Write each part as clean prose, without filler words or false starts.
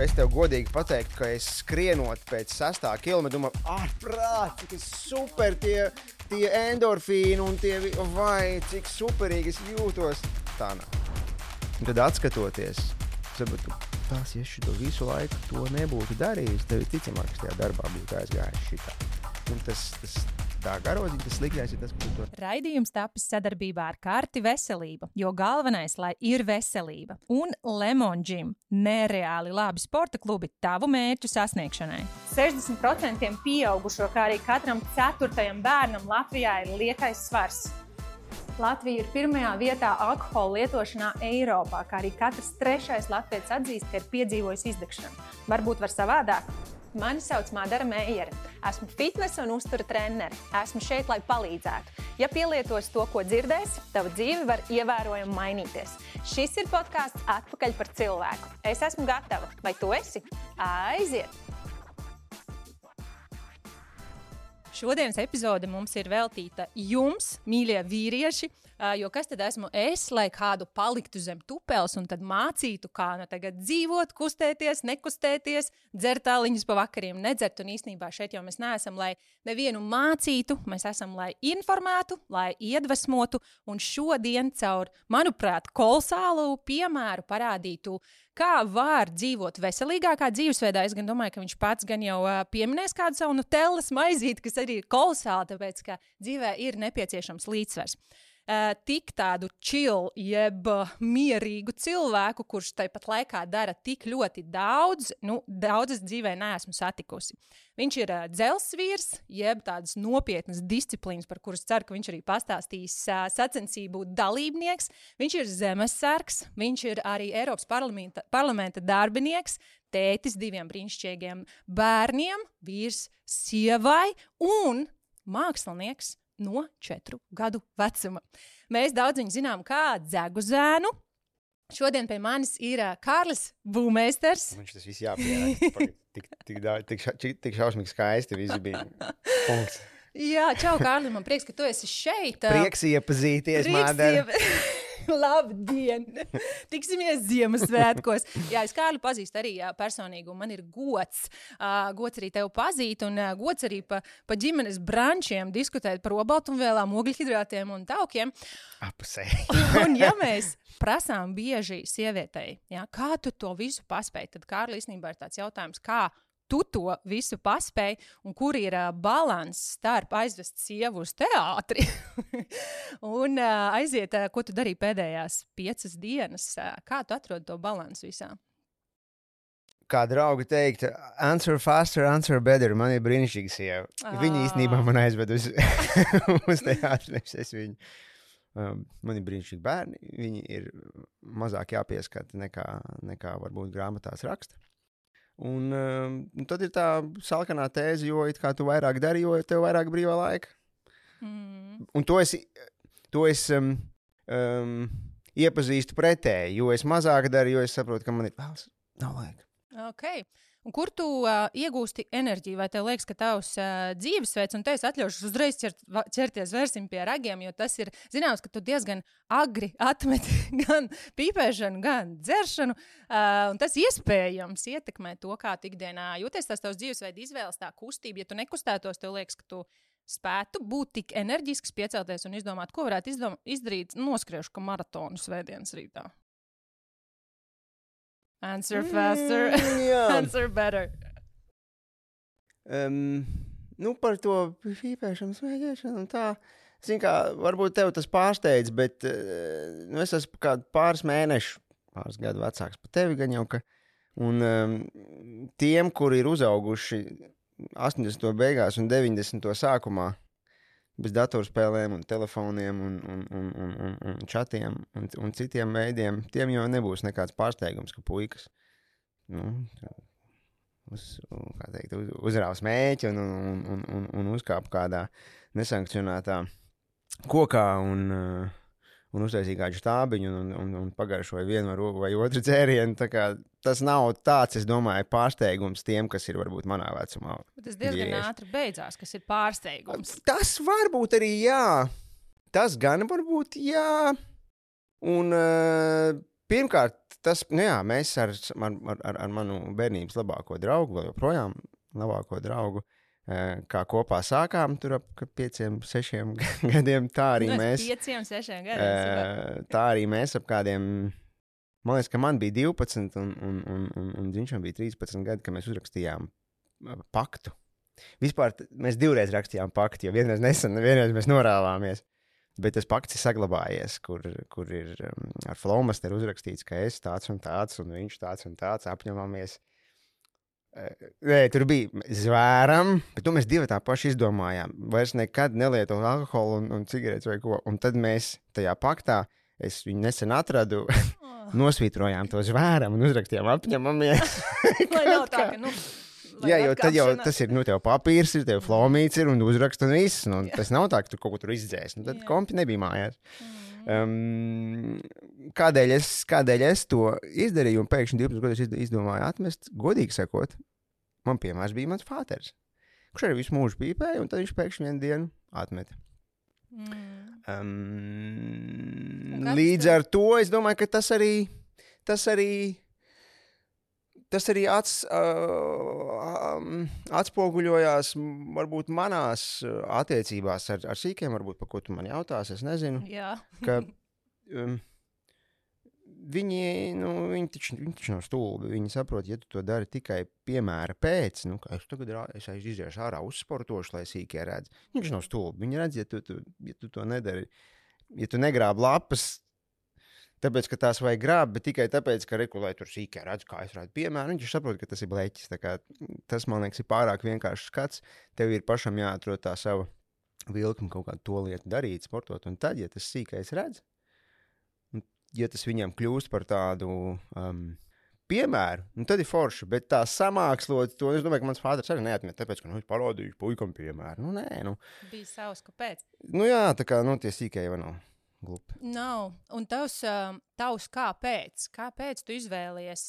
es tev godīgi pateiktu, ka es skrienot pēc 6. kilometra, domāju, ārprāt, cik super tie endorfīni un tie, vai, cik superīgi es jūtos. Tā nav. Un tad atskatoties, saprotu, tās, ja šito visu laiku to nebūtu darījis, tev ticamāk, ka tajā darbā būtu aizgājis šitā. Un tas tā garoziņa, tas sliktais ir tas, ka tu to... Raidījums tapis sadarbībā ar Karti Veselība, jo galvenais, lai ir veselība. Un Lemon Gym – nereāli labi sporta klubi tavu mērķu sasniegšanai. 60% pieaugušo, kā arī katram 4. bērnam Latvijā ir liekais svars. Latvija ir 1. vietā alkohola lietošanā Eiropā, kā arī katrs 3. latvietis atzīst, ka ir piedzīvojis izdegšanu. Varbūt var savādāk? Mani sauc Madara Meijere. Esmu fitnesa un uztura trenere. Esmu šeit, lai palīdzētu. Ja pielietos to, ko dzirdēsi, tava dzīve var ievērojami mainīties. Šis ir podcasts Atpakaļ par cilvēku. Es esmu gatava. Vai tu esi? Aiziet! Šodienas epizode mums ir veltīta jums, mīļie vīrieši, jo kas tad esmu es, lai kādu paliktu zem tupels un tad mācītu, kā tagad dzīvot, kustēties, nekustēties, dzert tāliņus pa vakariem, nedzert. Un īstenībā šeit jau mēs neesam, lai nevienu mācītu, mēs esam, lai informētu, lai iedvesmotu. Un šodien caur, manuprāt, kolosālu piemēru parādītu, kā var dzīvot veselīgākā dzīvesveidā. Es gan domāju, ka viņš pats gan jau pieminēs kādu savu nutellas maizīti, kas arī ir kolosāli, tāpēc, ka dzīvē ir nepieciešams līdzsvars. Tik tādu chill, jeb mierīgu cilvēku, kurš tāpat laikā dara tik ļoti daudz, daudzas dzīvē neesmu satikusi. Viņš ir dzelsvīrs, jeb tādas nopietnas disciplīnas, par kuras ceru, ka viņš arī pastāstīs sacensību dalībnieks. Viņš ir zemesargs, viņš ir arī Eiropas parlamenta darbinieks, tētis 2 brīnišķīgiem bērniem, vīrs sievai un mākslinieks no 4 gadu vecuma. Mēs daudz viņu zinām kā Dzeguzēnu. Šodien pie manis ir Kārlis Būmeisters. Viņš tas viss jāpierāk. Tik šausmīgi skaisti visi bija. Punkts. Jā, čau, Kārli, man prieks, ka tu esi šeit. Prieks iepazīties, Madara. Labdien! Tiksimies Ziemassvētkos. Jā, es Kārli pazīstu arī personīgi, un man ir gods. Gods arī tevi pazīt, un gods arī pa ģimenes brančiem diskutēt par olbaltumvielām, ogļhidrātiem un taukiem. Apusē. Un ja mēs prasām bieži sievietei, kā tu to visu paspēji, tad Kārli īstenībā ir tāds jautājums, kā tu to visu paspēji un kur ir balans starp aizvest sievu uz teātri un aiziet, ko tu darīji pēdējās 5 dienas. Kā tu atrodi to balansu visā? Kā draugi teikt, answer faster, answer better. Man ir brīnišķīga sieva. Viņa īstenībā man aizved uz teātri, nevis es viņu. Man ir brīnišķīgi bērni. Viņi ir mazāk jāpieskata nekā varbūt grāmatās raksta. Un tad ir tā salkanā tēze, jo it kā tu vairāk dari, jo tev vairāk brīvā laika. Un to es iepazīstu pretēji, jo es mazāk daru, jo es saprotu, ka man ir nav laika. Okay. Un kur tu iegūsti enerģiju? Vai tev liekas, ka tavs dzīvesveids, un te es atļaušos uzreiz ķerties vērsim pie ragiem, jo tas ir zināms, ka tu diezgan agri atmeti gan pīpēšanu, gan dzeršanu, un tas iespējams ietekmē to, kā tu ikdienā jūties tās tavs dzīvesveida izvēles, tā kustība. Ja tu nekustētos, tev liekas, ka tu spētu būt tik enerģisks, piecelties un izdomāt, ko varētu izdarīt, noskriešu, ka maratonu svētdienas rītā. Answer faster, answer better. Par to pīpēšanu, smēķēšanu un tā. Zin kā, varbūt tev tas pārsteidz, bet es esmu kādu pāris gadu vecāks par tevi gan jau, ka. Un tiem, kuri ir uzauguši 80. beigās un 90. sākumā, bez datorspēlēm un telefoniem un čatiem un citiem veidiem, tiem jau nebūs nekāds pārsteigums, ka puikas uzrāva smēķi un uzkāpa kādā nesankcionētā kokā un uztaisīja kādu štābiņu un pagaršoja vienu vai otru dzērienu. Tā kā tas nav tāds, es domāju, pārsteigums tiem, kas ir varbūt manā vecumā. Bet tas diezgan ātri beidzās, kas ir pārsteigums. Tas varbūt arī jā. Tas gan varbūt jā. Un Pirmkārt, tas, mēs ar manu bērnības labāko draugu, vēl joprojām labāko draugu, kā kopā sākām tur ap 5-6 gadiem, tā arī mēs. 5-6 gadiem. Tā arī mēs ap kādiem, man liekas, ka man bija 12 un viņam bija 13 gadi, kad mēs uzrakstījām paktu. Vispār mēs 2 reizes rakstījām paktu, jo vienreiz nesen, vienreiz mēs norāvāmies. Bet tas pakts ir saglabājies, kur ir ar flomasteru uzrakstīts, ka es tāds un viņš tāds un tāds apņemamies. Tur bija zvēram, bet to mēs 2 tā paši izdomājām. Vairs nekad nelietot alkoholu un cigaretes vai ko. Un tad mēs tajā paktā, es viņu nesen atradu, nosvītrojām to zvēram un uzrakstījām apņemamies. Lai nav tā, ka, Jā, jo tad jau tas ir, tev papīrs ir, tev flomīts ir un uzrakst un viss. Tas nav tā, ka tu kaut ko tur izdzēs. Tad kompi nebija mājās. Kādēļ es to izdarīju un pēkšņi 12 gadus izdomāju atmest? Godīgi sakot, man piemērs bija mans fāters, kurš arī visu mūžu pīpēja, un tad viņš pēkšņi vienu dienu atmeta. Līdz ar to es domāju, ka tas arī atspoguļojās varbūt manās attiecībās ar sīkiem, varbūt par ko tu man jautās, es nezinu. Jā. Ka viņi taču nav stulbi, viņi saprot, ja tu to dari tikai piemēra pēc, ka es iziešu ārā uzsportošu, lai sīkie redz. Viņš nav stulbi, viņi redz, ja tu to nedari, ja tu negrāb lapas, tāpēc, ka tās vajag grābt, bet tikai tāpēc, ka regulē tur sīkā redz, kā es redzu piemēru. Viņš saprot, ka tas ir bleķis. Tas, man liekas, ir pārāk vienkāršs skats. Tev ir pašam jāatrod tā sava vilkuma kaut kādu to lietu darīt, sportot. Un tad, ja tas sīkais redz, ja tas viņam kļūst par tādu piemēru, tad ir forši. Bet tā samākslot to, es domāju, ka mans fāders arī neatmet, tāpēc, ka es parādīju puikam piemēru. Bija savs, kāpēc? Jā, tā kā, tie sīkai jau nav. Glupi. Nav. Un tavs kāpēc? Kāpēc tu izvēlies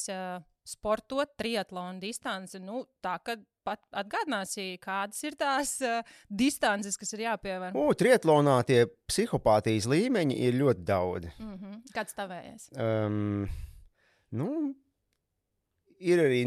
sportot triatlonu distanci? Tā, kad pat atgādināsi, kādas ir tās distances, kas ir jāpievēr? Triatlonā tie psihopātijas līmeņi ir ļoti daudz. Kāds tavējais? Ir arī...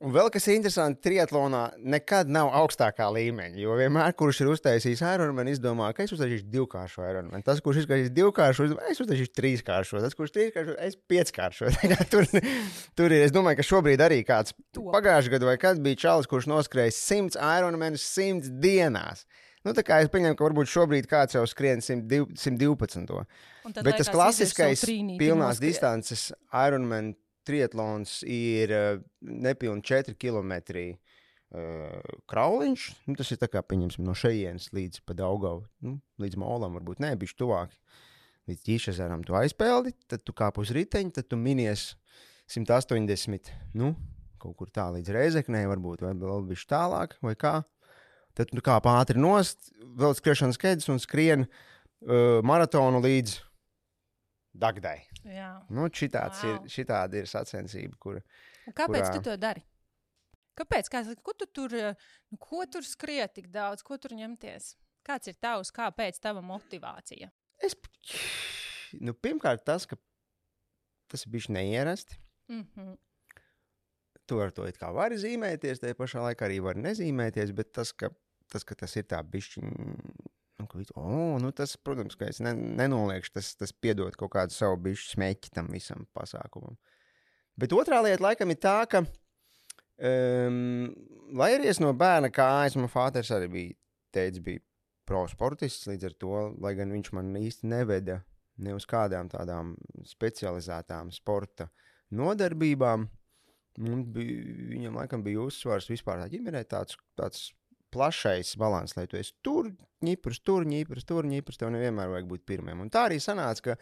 Un vēl kas ir interesanti, triatlonā nekad nav augstākā līmeņa, jo vienmēr, kurš ir uztaisījis Ironman, izdomā, ka es uztaisīšu 2-kāršo Ironman. Tas, kurš iztaisīs 2-kāršo, es uztaisīšu 3-kāršo. Tas, kurš 3-kāršo, es 5-kāršo. Tur ir, es domāju, ka šobrīd arī kāds pagājušajā gadā vai kad bija čalis, kurš noskrējis 100 Ironmanus 100 dienās. Tā kā es pieņemu, ka varbūt šobrīd kāds jau skrien 112. Bet tas klasiskais pilnās distances Ironman triatlons ir nepilni 4 kilometri krauliņš. Tas ir tā kā, pieņemsim, no šejienes līdz pa Daugavu, līdz Molam, varbūt ne, bišķi tuvāk. Līdz Ķīšezeram tu aizpeldi, tad tu kāp uz riteņu, tad tu minies 180, kaut kur tā līdz Reizeknei varbūt, vai vēl bišķi tālāk, vai kā. Tad tu kāp ātri nost, vēl skriešanas kedus un skrien maratonu līdz Dagdai. Jā. Šitāda ir sacensība, kura... Un kāpēc tu to dari? Kāpēc? Ko tur skriet tik daudz? Ko tur ņemties? Kāds ir kāpēc tava motivācija? Pirmkārt tas, ka tas ir bišķi neierasti. Tu ar to it kā vari zīmēties, tajā pašā laikā arī vari nezīmēties, bet tas, ka tas ir tā bišķi... tas, protams, ka es nenoliekšu, tas piedod kaut kādu savu bišķi smeķi tam visam pasākumam. Bet otrā lieta laikam ir tā, ka, lai arī es no bērna kājas, man fāters arī bija pro sportists, līdz ar to, lai gan viņš man īsti neveda ne uz kādām tādām specializētām sporta nodarbībām, viņam laikam bija uzsvars vispār tā ģimenē tāds plašais balans, lai tu esi tur, ņiprs, tev nevienmēr vajag būt pirmiem. Un tā arī sanāca, ka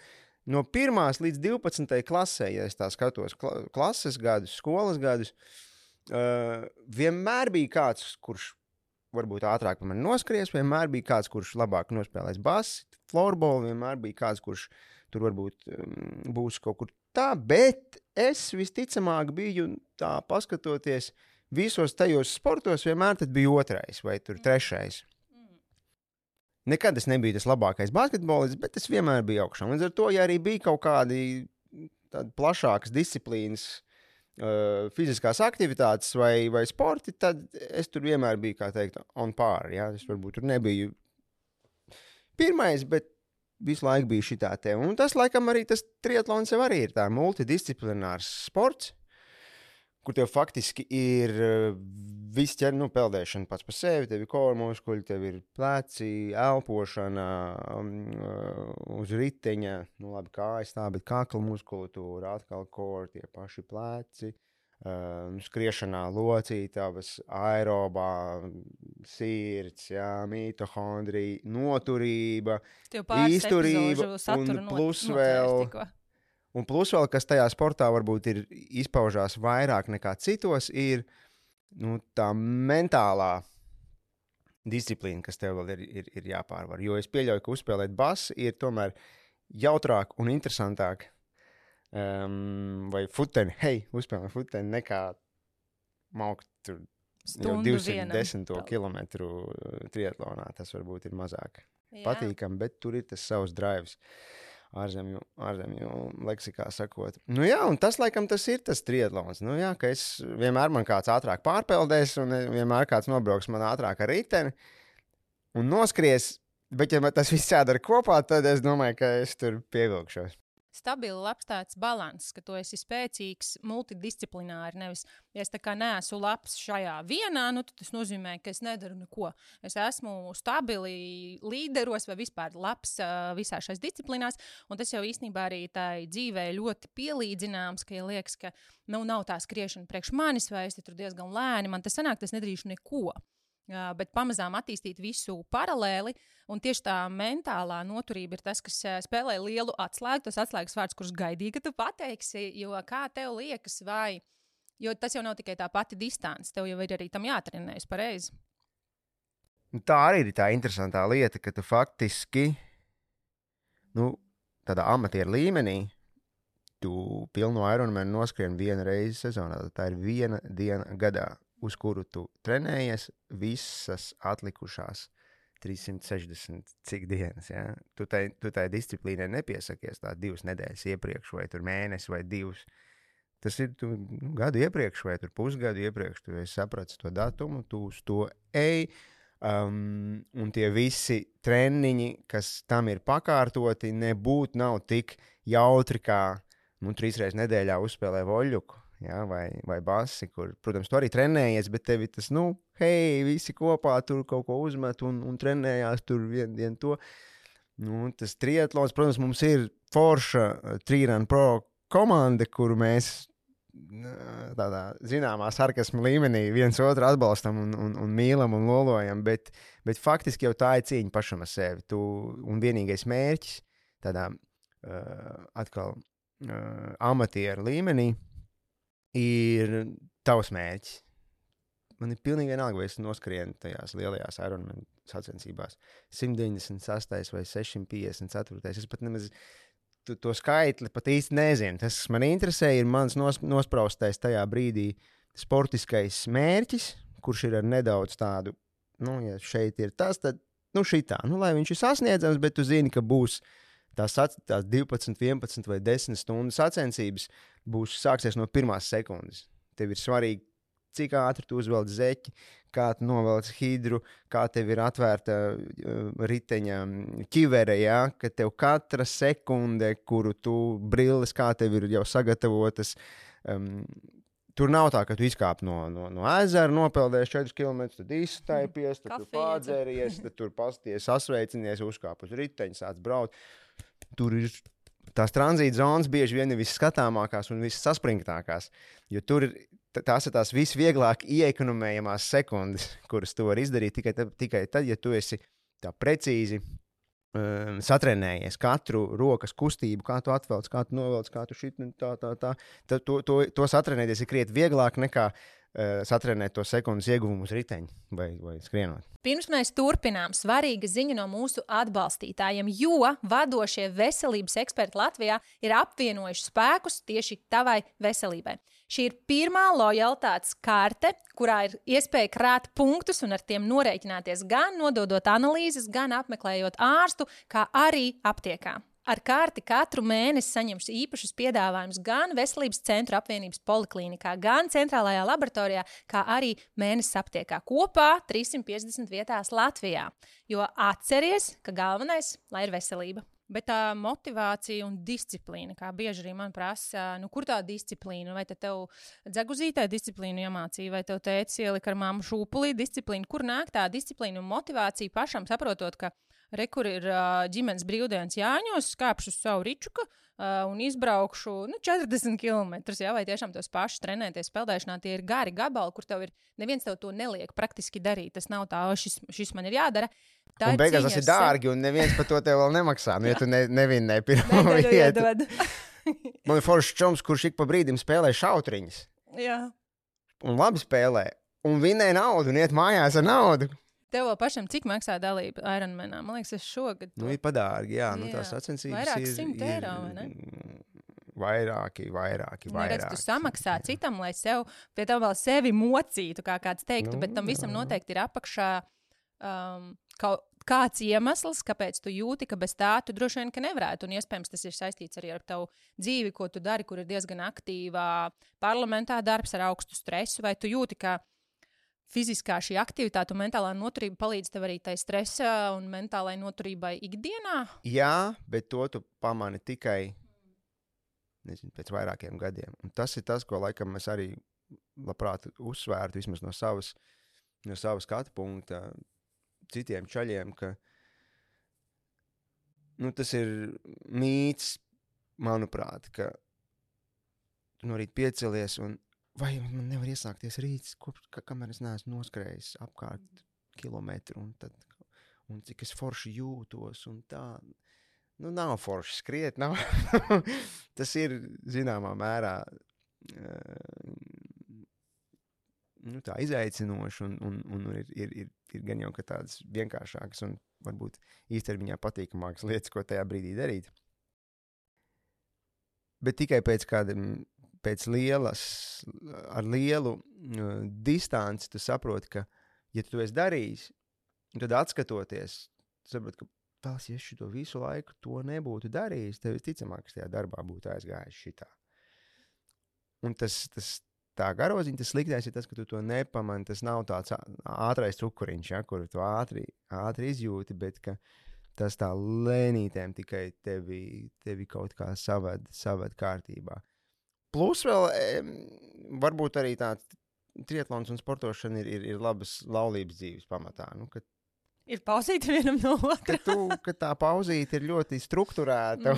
no 1. līdz 12. klasē, ja es tā skatos klases gadus, skolas gadus, vienmēr bija kāds, kurš varbūt ātrāk par mani noskries, vienmēr bija kāds, kurš labāk nospēlēs basi, floorball, vienmēr bija kāds, kurš tur varbūt būs kaut kur tā, bet es visticamāk biju tā paskatoties visos tajos sportos vienmēr tad bija 2. vai tur 3. Nekad es nebiju tas labākais basketbolists, bet es vienmēr biju augšā. Līdz ar to, ja arī bija kaut kādi tādas plašākas disciplīnas, fiziskās aktivitātes vai sporti, tad es tur vienmēr biju, kā teikt, on par. Ja? Es varbūt tur nebiju pirmais, bet visu laiku bija šitā te. Un tas, laikam, arī tas triatlons jau arī ir tā multidisciplinārs sports, kur tev faktiski ir viss peldēšana pats par sevi, tev ir core muskuļi, tev ir pleci, elpošana, uz riteņa, labi kājas tā, bet kakla muskulatūra, atkal core, tie paši pleci, skriešanā locītavas, aerobā, sirds, mitohondrija, noturība, izturība un plus vēl, kas tajā sportā varbūt ir izpaužās vairāk nekā citos, ir tā mentālā disciplīna, kas tev vēl ir jāpārvar. Jo es pieļauju, ka uzspēlēt basu ir tomēr jautrāk un interesantāk vai futeni, uzspēlēt futeni nekā maukt tur jau 210 kilometru triatlonā. Tas varbūt ir mazāk patīkami, bet tur ir tas savs drives. Ārzemju leksikā sakot. Un tas, laikam, tas ir tas triatlons. Ka es vienmēr man kāds ātrāk pārpeldēs un vienmēr kāds nobrauks man ātrāk ar riteni un noskries, bet ja man tas viss jādara kopā, tad es domāju, ka es tur pievilkšos. Stabili labs tāds balanss, ka tu esi spēcīgs multidisciplināri, nevis, ja es tā kā neesmu labs šajā vienā, tad tas nozīmē, ka es nedaru neko. Es esmu stabili līderos vai vispār labs visā šais disciplīnās, un tas jau īstenībā arī tai dzīvē ļoti pielīdzināms, ka ja liekas, ka nav tā skriešana priekš manis, vai es tur diezgan lēni, man tas sanāk, tas nedarīšu neko. Bet pamazām attīstīt visu paralēli, un tieši tā mentālā noturība ir tas, kas spēlē lielu atslēgu, tas atslēgas vārds, kurus gaidīja, ka tu pateiksi, jo kā tev liekas, jo tas jau nav tikai tā pati distance, tev jau ir arī tam jātrenējas pareizi. Tā arī ir tā interesantā lieta, ka tu faktiski, tādā amatieru līmenī, tu pilnu Ironmanu noskrien vienu reizi sezonā, tā ir viena diena gadā, uz kuru tu trenējies visas atlikušās 360 cik dienas. Ja? Tu tai disciplīnai nepiesakies tā 2 nedēļas iepriekš, vai tur mēnesi, vai 2. Tas ir gadu iepriekš, vai tur pusgadu iepriekš. Tu esi sapratis to datumu, tu uz to ej, un tie visi treniņi, kas tam ir pakārtoti, nav tik jautri, kā 3 reizes nedēļā uzspēlē voļuku. Ja, vai basi, kur, protams, tu arī trenējies, bet tevi tas, visi kopā tur kaut ko uzmet un trenējās tur vien to. Tas triatlons, protams, mums ir forša Trīran Pro komanda, kuru mēs tādā zināmā sarkasma līmenī viens otru atbalstam un mīlam un lolojam, bet faktiski jau tā ir cīņa pašam ar sevi. Un vienīgais mērķis tādā atkal amatieru līmenī ir tavs mērķis. Man ir pilnīgi vienalga, vai es noskrienu tajās lielajās Ironman sacensībās 198 vai 654. Es pat nemaz to skaitli pat īsti nezinu. Tas, kas man interesē, ir mans nospraustais tajā brīdī sportiskais mērķis, kurš ir ar nedaudz tādu, ja šeit ir tas, tad, šitā. Lai viņš ir sasniedzams, bet tu zini, ka būs tās 12, 11 vai 10 stundu sacensības sāksies no pirmās sekundes. Tev ir svarīgi, cik ātri tu uzvelc zeķi, kā tu novelc hidru, kā tev ir atvērta riteņa ķivere, ka tev katra sekunde, kuru tu brilles, kā tev ir jau sagatavotas, tur nav tā, ka tu izkāp no ezera, nopeldēs 4 km, tad izstaipies, tad tu pādzēries, tad tur pasties, sasveicinies, uzkāp uz riteņa, sāc braukt. Tur ir tās tranzīta zonas bieži vien ir visskatāmākās un vissaspringtākās, jo tur tās ir tās visvieglāk ieekonomējamās sekundes, kuras tu vari izdarīt tikai tad, ja tu esi tā precīzi satrenējies katru rokas kustību, kā tu atvelc, kā tu novelc, kā tu šit, tā. To satrenēties ir krietni vieglāk nekā satrenēt to sekundes ieguvumu uz riteņa vai skrienot. Pirms mēs turpinām, svarīga ziņa no mūsu atbalstītājiem, jo vadošie veselības eksperti Latvijā ir apvienojuši spēkus tieši tavai veselībai. Šī ir pirmā lojalitātes karte, kurā ir iespēja krāt punktus un ar tiem norēķināties gan nododot analīzes, gan apmeklējot ārstu, kā arī aptiekā. Ar kārti katru mēnesi saņemšu īpašus piedāvājumus gan Veselības centru apvienības poliklīnikā, gan centrālajā laboratorijā, kā arī mēnesis aptiekā. Kopā 350 vietās Latvijā. Jo atceries, ka galvenais, lai ir veselība. Bet tā motivācija un disciplīna, kā bieži arī man prasa, kur tā disciplīna? Vai tev dzeguzītē disciplīnu iemācīja, vai tev tētis ielika ar mammu šūpulī disciplīnu? Kur nāk tā disciplīna un motivācija pašam saprotot, ka kur ir ģimenes brīvdienas Jāņos, skāpšu uz savu ričuku un izbraukšu 40 km, vai tiešām tos pašus trenēties peldēšanā, tie ir gari gabali, kur tev ir, neviens tev to neliek praktiski darīt, tas nav tā, šis man ir jādara. Tā un beigās tas ir dārgi, un neviens par to tev vēl nemaksā, ja tu nevinnēji pirmo vietu. Man ir foršs čoms, kurš ik pa brīdim spēlē šautriņas. Jā. Un labi spēlē, un vinnē naudu, un iet mājās ar naudu. Tev vēl pašam, cik maksā dalība Ironmanā? Man liekas, es šogad... Ir padārgi, jā. Tās sacensības vairāk 100 eiro, vai ne? Vairāki. Neredz, tu samaksā citam, lai sev, pie tam vēl sevi mocītu, kā kāds teiktu, bet tam visam noteikti ir apakšā kāds iemesls, kāpēc tu jūti, ka bez tā tu droši vien, ka nevarētu. Un iespējams, tas ir saistīts arī ar tavu dzīvi, ko tu dari, kur ir diezgan aktīvā parlamentā darbs ar augstu stresu, vai tu jūti, ka fiziskā šī aktivitāte un mentālā noturība palīdz tev arī tai stresa un mentālai noturībai ikdienā? Jā, bet to tu pamani tikai, pēc vairākiem gadiem. Un tas ir tas, ko laikam es arī labprāt uzsvērtu, vismaz no savas skatu punkta citiem čaļiem, ka tas ir mīts, manuprāt, ka tu no rīta piecelies un vai man nevar iesākties rīts, kamēr es neesmu noskrējis apkārt kilometru, un cik es forši jūtos, un tā. Nav forši skriet, nav. Tas ir, zināmā mērā, tā izaicinoši, un ir gan jau, ka tādas vienkāršākas un varbūt īstermiņā patīkamākas lietas, ko tajā brīdī darīt. Bet tikai pēc ar lielu distanci tu saproti, ka, ja tu esi darījis, tad atskatoties, tu saproti, ka tās, ja šito visu laiku to nebūtu darījis, tev visticamāk, ka tajā darbā būtu aizgājis šitā. Un tā garoziņa, tas sliktais ir tas, ka tu to nepamani, tas nav tāds ātrais cukuriņš, kuru tu ātri izjūti, bet ka tas tā lēnītēm tikai tevi kaut kā savad kārtībā. Plus vēl, varbūt arī tā triatlons un sportošana ir labas laulības dzīves pamatā. Ir pauzīti vienam no otra. Ka tā pauzīte ir ļoti strukturēta.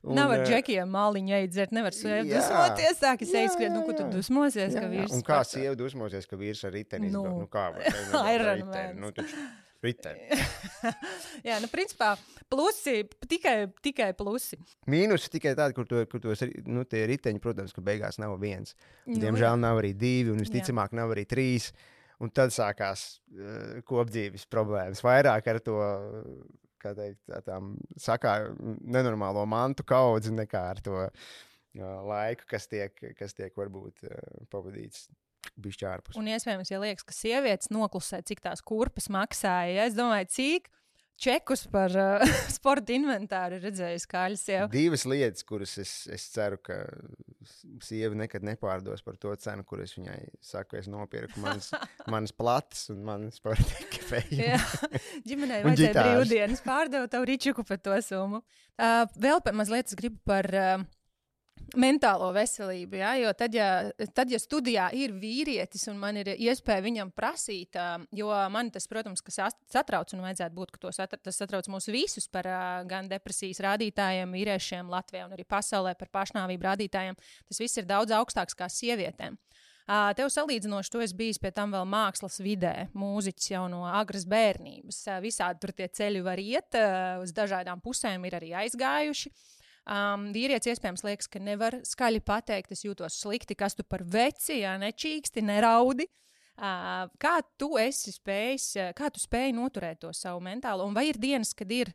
Nav ar džekiem māliņu eidzert, nevar dusmoties, sākas eizskriet, ko tu dusmosies, ka vīrs... Un kā sieva dusmosies, ka vīrs ar riteni izbrauc? Kā var? Ironmans. Riteni. Jā, principā plusi, tikai plusi. Mīnusi tikai tādi, kur tie riteņi, protams, ka beigās nav viens. Diemžēl nav arī 2, un visticamāk nav arī 3. Un tad sākās kopdzīves problēmas. Vairāk ar to, kā teikt, tām nenormālo mantu kaudzi, nekā ar to laiku, kas tiek varbūt pavadīts. Un iespējams, ja liekas, ka sievietes noklusē, cik tās kurpes maksāja, es domāju, cik čekus par sporta inventāru redzējusi kāļu sievu. 2 lietas, kuras es ceru, ka sieva nekad nepārdos par to cenu, kur es viņai saku, es nopirku manas plates un manas sporta ekipējumu. Jā, ģimenei vajadzēja brīvdienas pārdevu tavu ričuku par to summu. Vēl mazliet es gribu par... mentālo veselību, jo tad, ja studijā ir vīrietis un man ir iespēja viņam prasīt, jo man tas, protams, ka satrauc un vajadzētu būt, ka tas satrauc mūs visus par gan depresijas rādītājiem, vīriešiem Latvijā un arī pasaulē par pašnāvību rādītājiem, tas viss ir daudz augstāks kā sievietēm. Tev salīdzinoši, tu esi bijis pie tam vēl mākslas vidē, mūziķis jau no agras bērnības. Visādi tur tie ceļi var iet, uz dažādām pusēm ir arī aizgājuši. Vīrietis iespējams liekas, ka nevar skaļi pateikt, es jūtos slikti, kas tu par veci, nečīksti, neraudi. Kā tu spēji noturēt to savu mentālo, un vai ir dienas, kad ir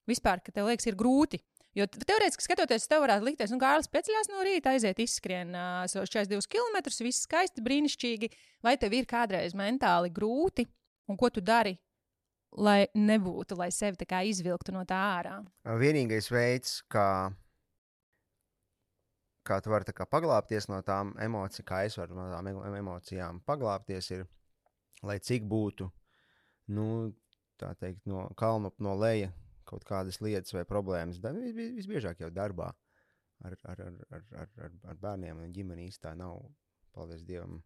vispār, ka tev liekas, ir grūti? Jo teorētiski skatoties, tev varētu likties, Kārlis pieceļās no rīta, aiziet izskrien 42 km, viss skaisti, brīnišķīgi, vai tev ir kādreiz mentāli grūti, un ko tu dari, lai nebūtu, lai sevi tā kā izvilktu no tā ārā? Vienīgais veids, kā tu vari tā kā paglāpties no tām emocijām, kā es varu no tām emocijām paglāpties, ir, lai cik būtu, tā teikt, no kalna no leja kaut kādas lietas vai problēmas. Visbiežāk jau darbā ar bērniem un ģimeni īstā nav, paldies Dievam,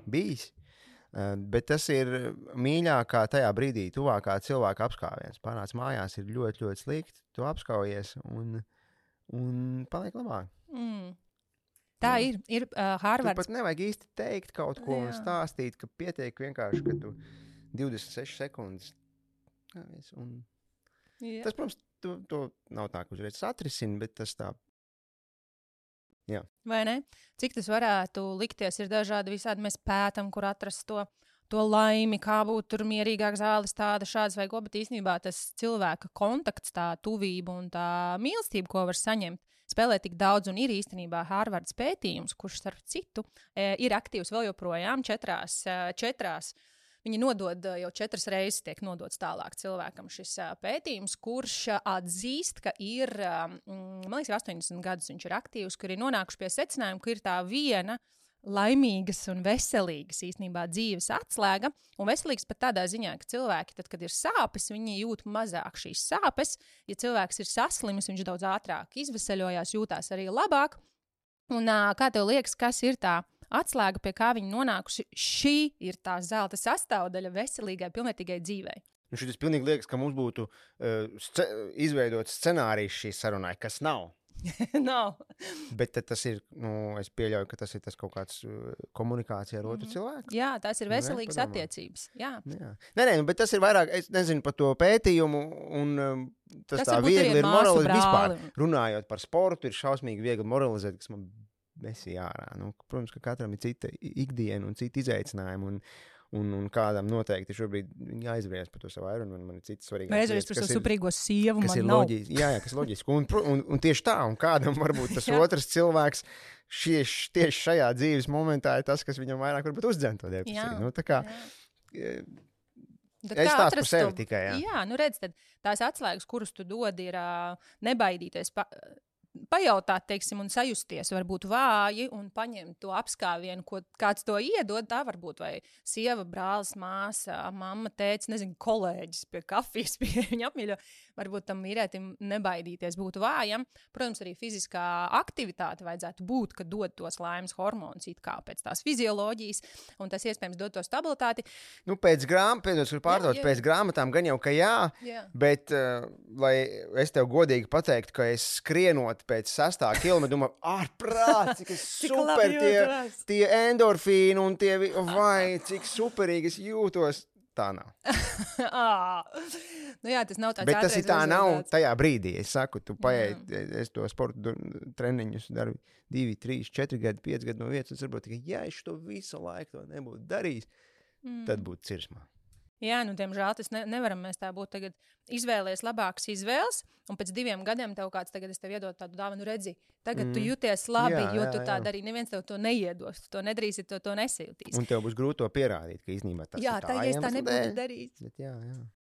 bijis. Bet tas ir mīļākā tajā brīdī, tuvākā cilvēka apskāviens. Pārnāc mājās, ir ļoti, ļoti slikti, tu apskaujies un paliek labāk. Tā ir Harvards. Tu pat nevajag īsti teikt kaut ko un stāstīt, ka pietiek vienkārši, ka tu 26 sekundes. Tas, protams, to nav tā, ka uzreiz atrisini, bet tas tā. Jā. Vai ne? Cik tas varētu likties, ir dažādi visādi, mēs pētam, kur atrast to laimi, kā būt tur mierīgāk zāles, tāda šādas vai ko, bet īstenībā tas cilvēka kontakts, tā tuvība un tā mīlestība, ko var saņemt, spēlē tik daudz, un ir īstenībā Harvards pētījums, kurš starp citu ir aktīvs vēl joprojām četrās. Viņi nodod jau 4 reizes tiek nodots tālāk cilvēkam šis pētījums, kurš atzīst, ka ir, man liekas, 80 gadus viņš ir aktīvs, kur ir nonākuši pie secinājuma, ka ir tā viena laimīgas un veselīgas īstenībā dzīves atslēga, un veselīgas pat tādā ziņā, ka cilvēki, tad, kad ir sāpes, viņi jūt mazāk šīs sāpes, ja cilvēks ir saslimis, viņš daudz ātrāk izveseļojās, jūtās arī labāk, un kā tev liekas, kas ir tā atslēga, pie kā viņi nonākuši, šī ir tā zelta sastāvdaļa veselīgai, pilnvērtīgai dzīvei. Šis pilnīgi liekas, ka mums būtu izveidots scenārijs šī sarunai, kas nav. Nav. Bet tas ir, es pieļauju, ka tas ir tas kaut kāds komunikācija ar otru cilvēku. Jā, tās ir veselīgas attiecības. Jā. Nē, bet tas ir vairāk, es nezinu par to pētījumu, un tas tā viegli ir moralizēt vispār. Runājot par sportu, ir šausmīgi viegli moralizēt, kas man besī ārā. Protams, ka katram ir cita ikdiena un cita izaicinājuma, un kādam noteikti šobrīd jāizvērst par to savu airunu, un man ir citas svarīgākas lietas. Vai par savu suprīgo sievu, man nav. Kas ir loģiski. Un tieši tā, un kādam varbūt tas otrs cilvēks tieši šajā dzīves momentā ir tas, kas viņam vairāk varbūt uzdzen to depresiju. Tā kā es stāstu par sevi tikai. Jā, redz, tad tās atslēgas, kuras tu dodi, ir nebaidīties pajautāt, teiksim, un sajusties varbūt vāji un paņemt to apskāvienu, ko kāds to iedod, tā varbūt vai sieva, brālis, māsa, mamma, tētis, nezinu, kolēģis pie kafijas, pie viņa apmīļo. Varbūt tam vīrētim nebaidīties būt vājam. Protams, arī fiziskā aktivitāte vajadzētu būt, ka dod tos laimes hormonus it kā pēc tās fizioloģijas, un tas iespējams dod to stabilitāti. Pēc grāmatām gan jau, ka jā. Bet, lai es tev godīgi pateiktu, ka es skrienot pēc 6. kilometra, domāju, ārprāt, cik super tie endorfīni un tie, vai, cik superīgi es jūtos. Tā nav. Jā, tas nav tāds. Bet tas ir tā nav tajā brīdī. Es saku, tu paēj, es to sportu treniņus daru 2, 3, 4 gadi, 5 gadi no vietas, un saprotu, ka ja es to visu laiku to nebūtu darījis, tad būtu cirsmā. Jā, diemžēl tas nevaram mēs tā būt tagad izvēlies labākas izvēles, un pēc 2 gadiem tev kāds tagad es tev iedodu tādu dāvanu, redzi, tagad tu jūties labi, jo tu tā darī, neviens tev to neiedos, tu to nedarīsi, tu to nesajūtīs. Un tev būs grūti to pierādīt, ka īstenībā tas ir tā. Jā, tā, ja es tā nebūtu darījis.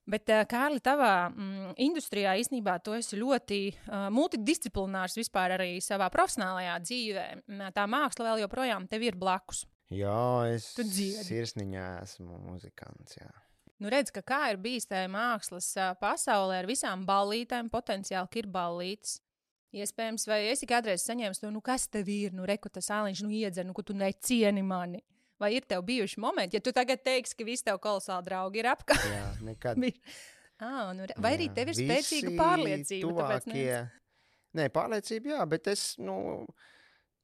Bet, Kārli, tavā industrijā īstenībā tu esi ļoti multidisciplinārs vispār arī savā profesionālajā dzīvē. Tā māksla vēl joprojām tev ir blakus. Jā, es sirsniņā esmu muzikants, jā. Redz, ka kā ir bijis tajā mākslas pasaulē ar visām ballītēm, potenciāli, ka ir ballītes. Iespējams, vai esi kādreiz saņēmis to, kas tev ir, reku tas āliņš, iedzer, ka tu necieni mani. Vai ir tev bijuši momenti, ja tu tagad teiksi, ka visi tev kolosāli draugi ir apkārt? Jā, nekad. Vai arī tev ir spēcīga pārliecība? Tuvākie... Nē, pārliecība, jā, bet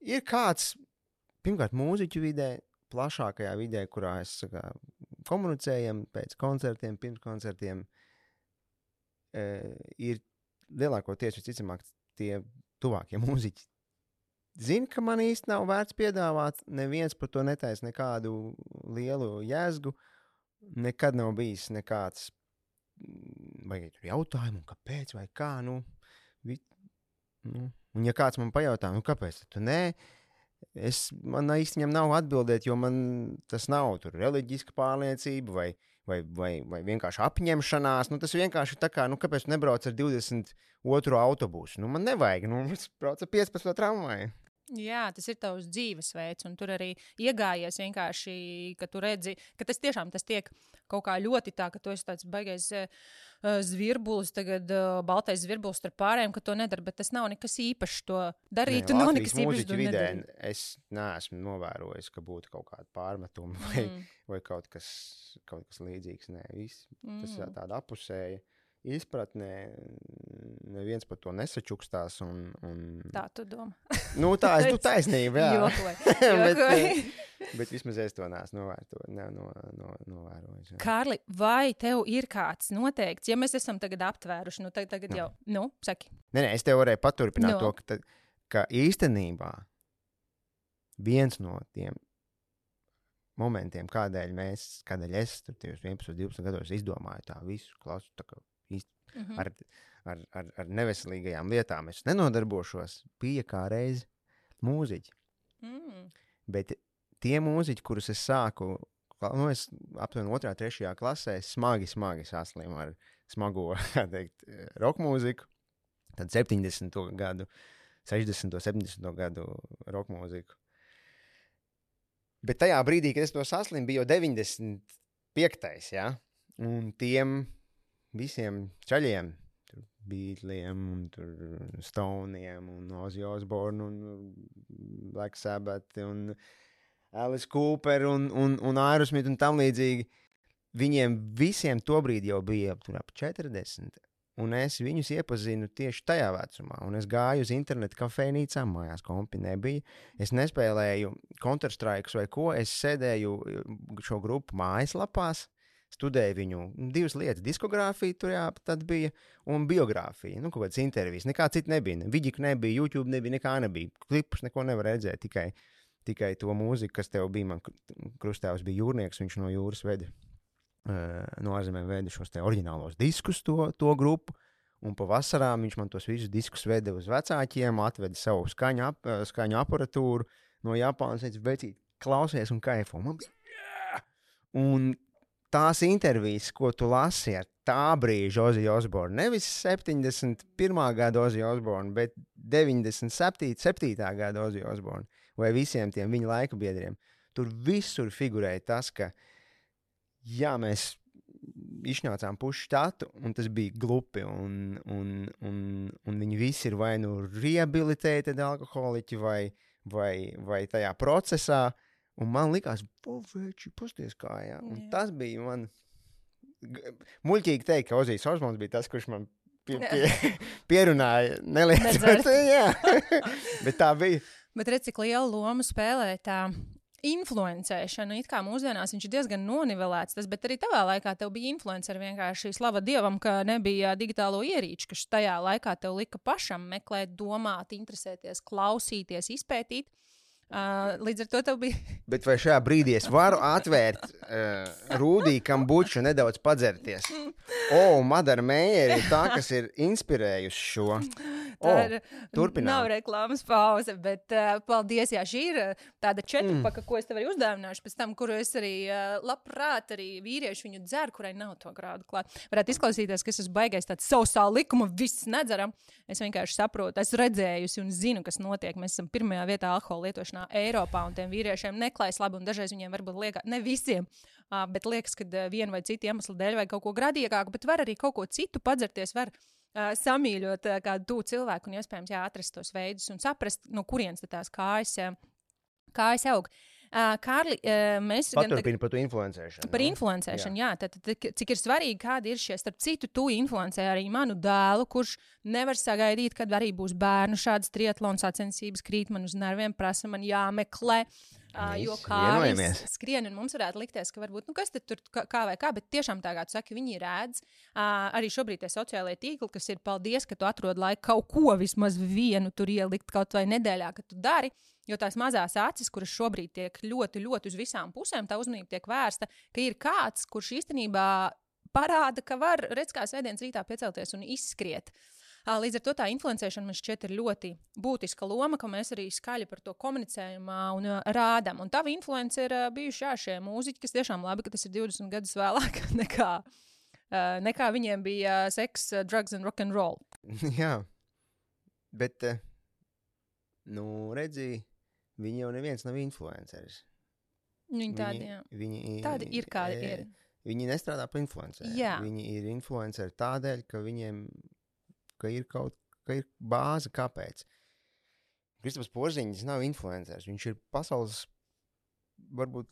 ir kāds, pirmkārt, mūziķu vidē, plašākajā vidē, kurā es komunicējam pēc koncertiem, pirms koncertiem, ir lielākoties visticamāk tie tuvākie mūziķi. Zinu, ka man īsti nav vērts piedāvāt, neviens par to netaisa nekādu lielu jēzgu, nekad nav bijis nekāds vai jautājumu, kāpēc vai kā, un ja kāds man pajautā, kāpēc tu nē, Man īsti viņam nav atbildēt, jo man tas nav tur reliģiska pārliecība vai vienkārši apņemšanās. Tas vienkārši tā kā, kāpēc tu nebrauc ar 22 autobusu? Man nevajag, es braucu ar 15 tramvaju. Jā, tas ir tavs dzīvesveids, un tur arī iegājies vienkārši, ka tu redzi, ka tas tiešām tiek kaut kā ļoti tā, ka tu esi tāds baigais zvirbulis, tagad baltais zvirbulis starp pārējiem, ka to nedara, bet tas nav nekas īpašs to darīt, tu nav nekas īpašs to nedarīt. Es neesmu novērojis, ka būtu kaut kāda pārmetuma vai kaut kas līdzīgs. Nē, tas ir tāda apusēja izpratnē, neviens par to nesačukstās. Tā tu domā. Tā es tu taisnība, jā. Jokoji. Bet vismaz es to neesmu novērojis. Kārli, vai tev ir kāds noteikts, ja mēs esam tagad aptvēruši, tagad jau, saki. Nē, es tev varēju paturpināt to, ka īstenībā viens no tiem momentiem, kādēļ es tur 11, 12 gados izdomāju tā visu klasu, tā kā ar neveselīgajām lietām es nenodarbošos, bija kā reiz mūziķi. Bet tie mūziķi, kurus es sāku, es aptuveni 2. 3. klasē, smagi saslimu ar smago, rock mūziku, tad 70. gadu, 60. 70. gadu rock mūziku. Bet tajā brīdī, kad es to saslimu, bija jau 95. Ja? Un tiem visiem čaļiem, Beatliem, un Stoneiem, un Ozzy Osbourne, un Black Sabbath, un Alice Cooper, un Aerosmith, un tam līdzīgi. Viņiem visiem tobrīd jau bija ap 40, un es viņus iepazinu tieši tajā vecumā. Un es gāju uz internetu kafejnīcām, mājās kompi nebija. Es nespēlēju Counter-Strike vai ko, es sēdēju šo grupu mājaslapās, studēju viņu 2 lietas, diskogrāfiju tur tad bija, un biogrāfija, kaut kādas intervijas. Nekā cita nebija, Viģika nebija, YouTube nebija, nekā nebija. Klipus neko nevar redzēt, tikai to mūziku, kas tev bija. Man krustāvs bija jūrnieks, viņš no jūras veda, no ārzemēm veda šos te oriģinālos diskus, to grupu, un pa vasarām viņš man tos visus diskus veda uz vecākiem, atveda savu skaņu aparatūru no Japānas, vecīt, klausies un kaifo. Man bija, un tās intervijas, ko tu lasi ar tā brīža Ozzy Osbourne, nevis 71. gada Ozzy Osbourne, bet 97. gada Ozzy Osbourne, vai visiem tiem viņa laika biedriem, tur visur figurēja tas, ka jā, mēs izšņācām pušu štatu, un tas bija glupi, un viņi visi ir vai rehabilitēti alkoholiķi, vai tajā procesā. Un man likās, veči, pasties kā, jā. Un tas bija man muļķīgi teikt, ka Ozijs Osbourns bija tas, kurš man pierunāja nelietot. Jā, bet tā bija. Bet redz, cik lielu lomu spēlē tā influencēšana. It kā mūsdienās viņš ir diezgan nonivelēts, bet arī tavā laikā tev bija influenceri vienkārši slava Dievam, ka nebija digitālo ierīču, kas tajā laikā tev lika pašam meklēt, domāt, interesēties, klausīties, izpētīt. Līdz ar to tev bija. Bet vai šajā brīdī es varu atvērt Rūdī Kambuču nedaudz padzerties? Madara Meijere ir tā, kas ir inspirējusi šo. Turpinām. Nav reklāmas pauze, bet paldies, jā, šī ir tāda četrpaka, ko es tev arī uzdāvināšu pēc tam, kuru es arī labprāt arī vīrieši viņu dzer, kurai nav to grādu klāt. Varētu izklausīties, ka es esmu baigais tāds sausā likuma, viss nedzeram. Es vienkārši saprotu, esmu redzējusi un zinu, kas notiek. Mēs esam pirmajā vietā alkohola lietošanā Eiropā, un tiem vīriešiem neklājas labi, un dažreiz viņiem varbūt liekas, ne visiem, bet liekas, ka vienu vai citu iemeslu dēļ vai kaut ko gradīgāku, bet var arī kaut ko citu padzerties, var samīļot kādu tū cilvēku un iespējams atrast tos veidus un saprast, no kurienes tās kājas aug. Kārli, mēs paturpini par to influencēšanu. Par influencēšanu, jā. Tad, cik ir svarīgi, kādi ir šie, starp citu, tu influencē arī manu dēlu, kurš nevar sagaidīt, kad arī būs bērnu šādas triatlona sacensības, krīt man uz nerviem, prasa man jāmeklē. Jo Kārlis skrien, un mums varētu likties, ka varbūt, kas tad tur kā vai kā, bet tiešām tā kā tu saki, viņi redz. Arī šobrīd tie sociālajie tīkli, kas ir paldies, ka tu atrod laiku kaut ko vismaz vienu tur ielikt kaut vai nedēļā, ka tu dari, jo tās mazās acis, kuras šobrīd tiek ļoti, ļoti uz visām pusēm, tā uzmanība tiek vērsta, ka ir kāds, kurš īstenībā parāda, ka var, redz kā svētdienas rītā piecelties un izskriet. Līdz ar to tā influencēšana man šķiet ir ļoti būtiska loma, ka mēs arī skaļi par to komunicējam un rādam. Un tavi influenci ir bijuši šie mūziķi, kas tiešām labi, ka tas ir 20 gadus vēlāk nekā viņiem bija seks, drugs and rock'n'roll. Jā, bet, redzi, viņi jau neviens nav influenceris. Viņi tādi ir, kādi ir. Viņi nestrādā par influenceriem. Jā. Viņi ir influenceri tādēļ, ka viņiem ir bāze, kāpēc. Kristaps Porziņš nav influenceris. Viņš ir pasaules varbūt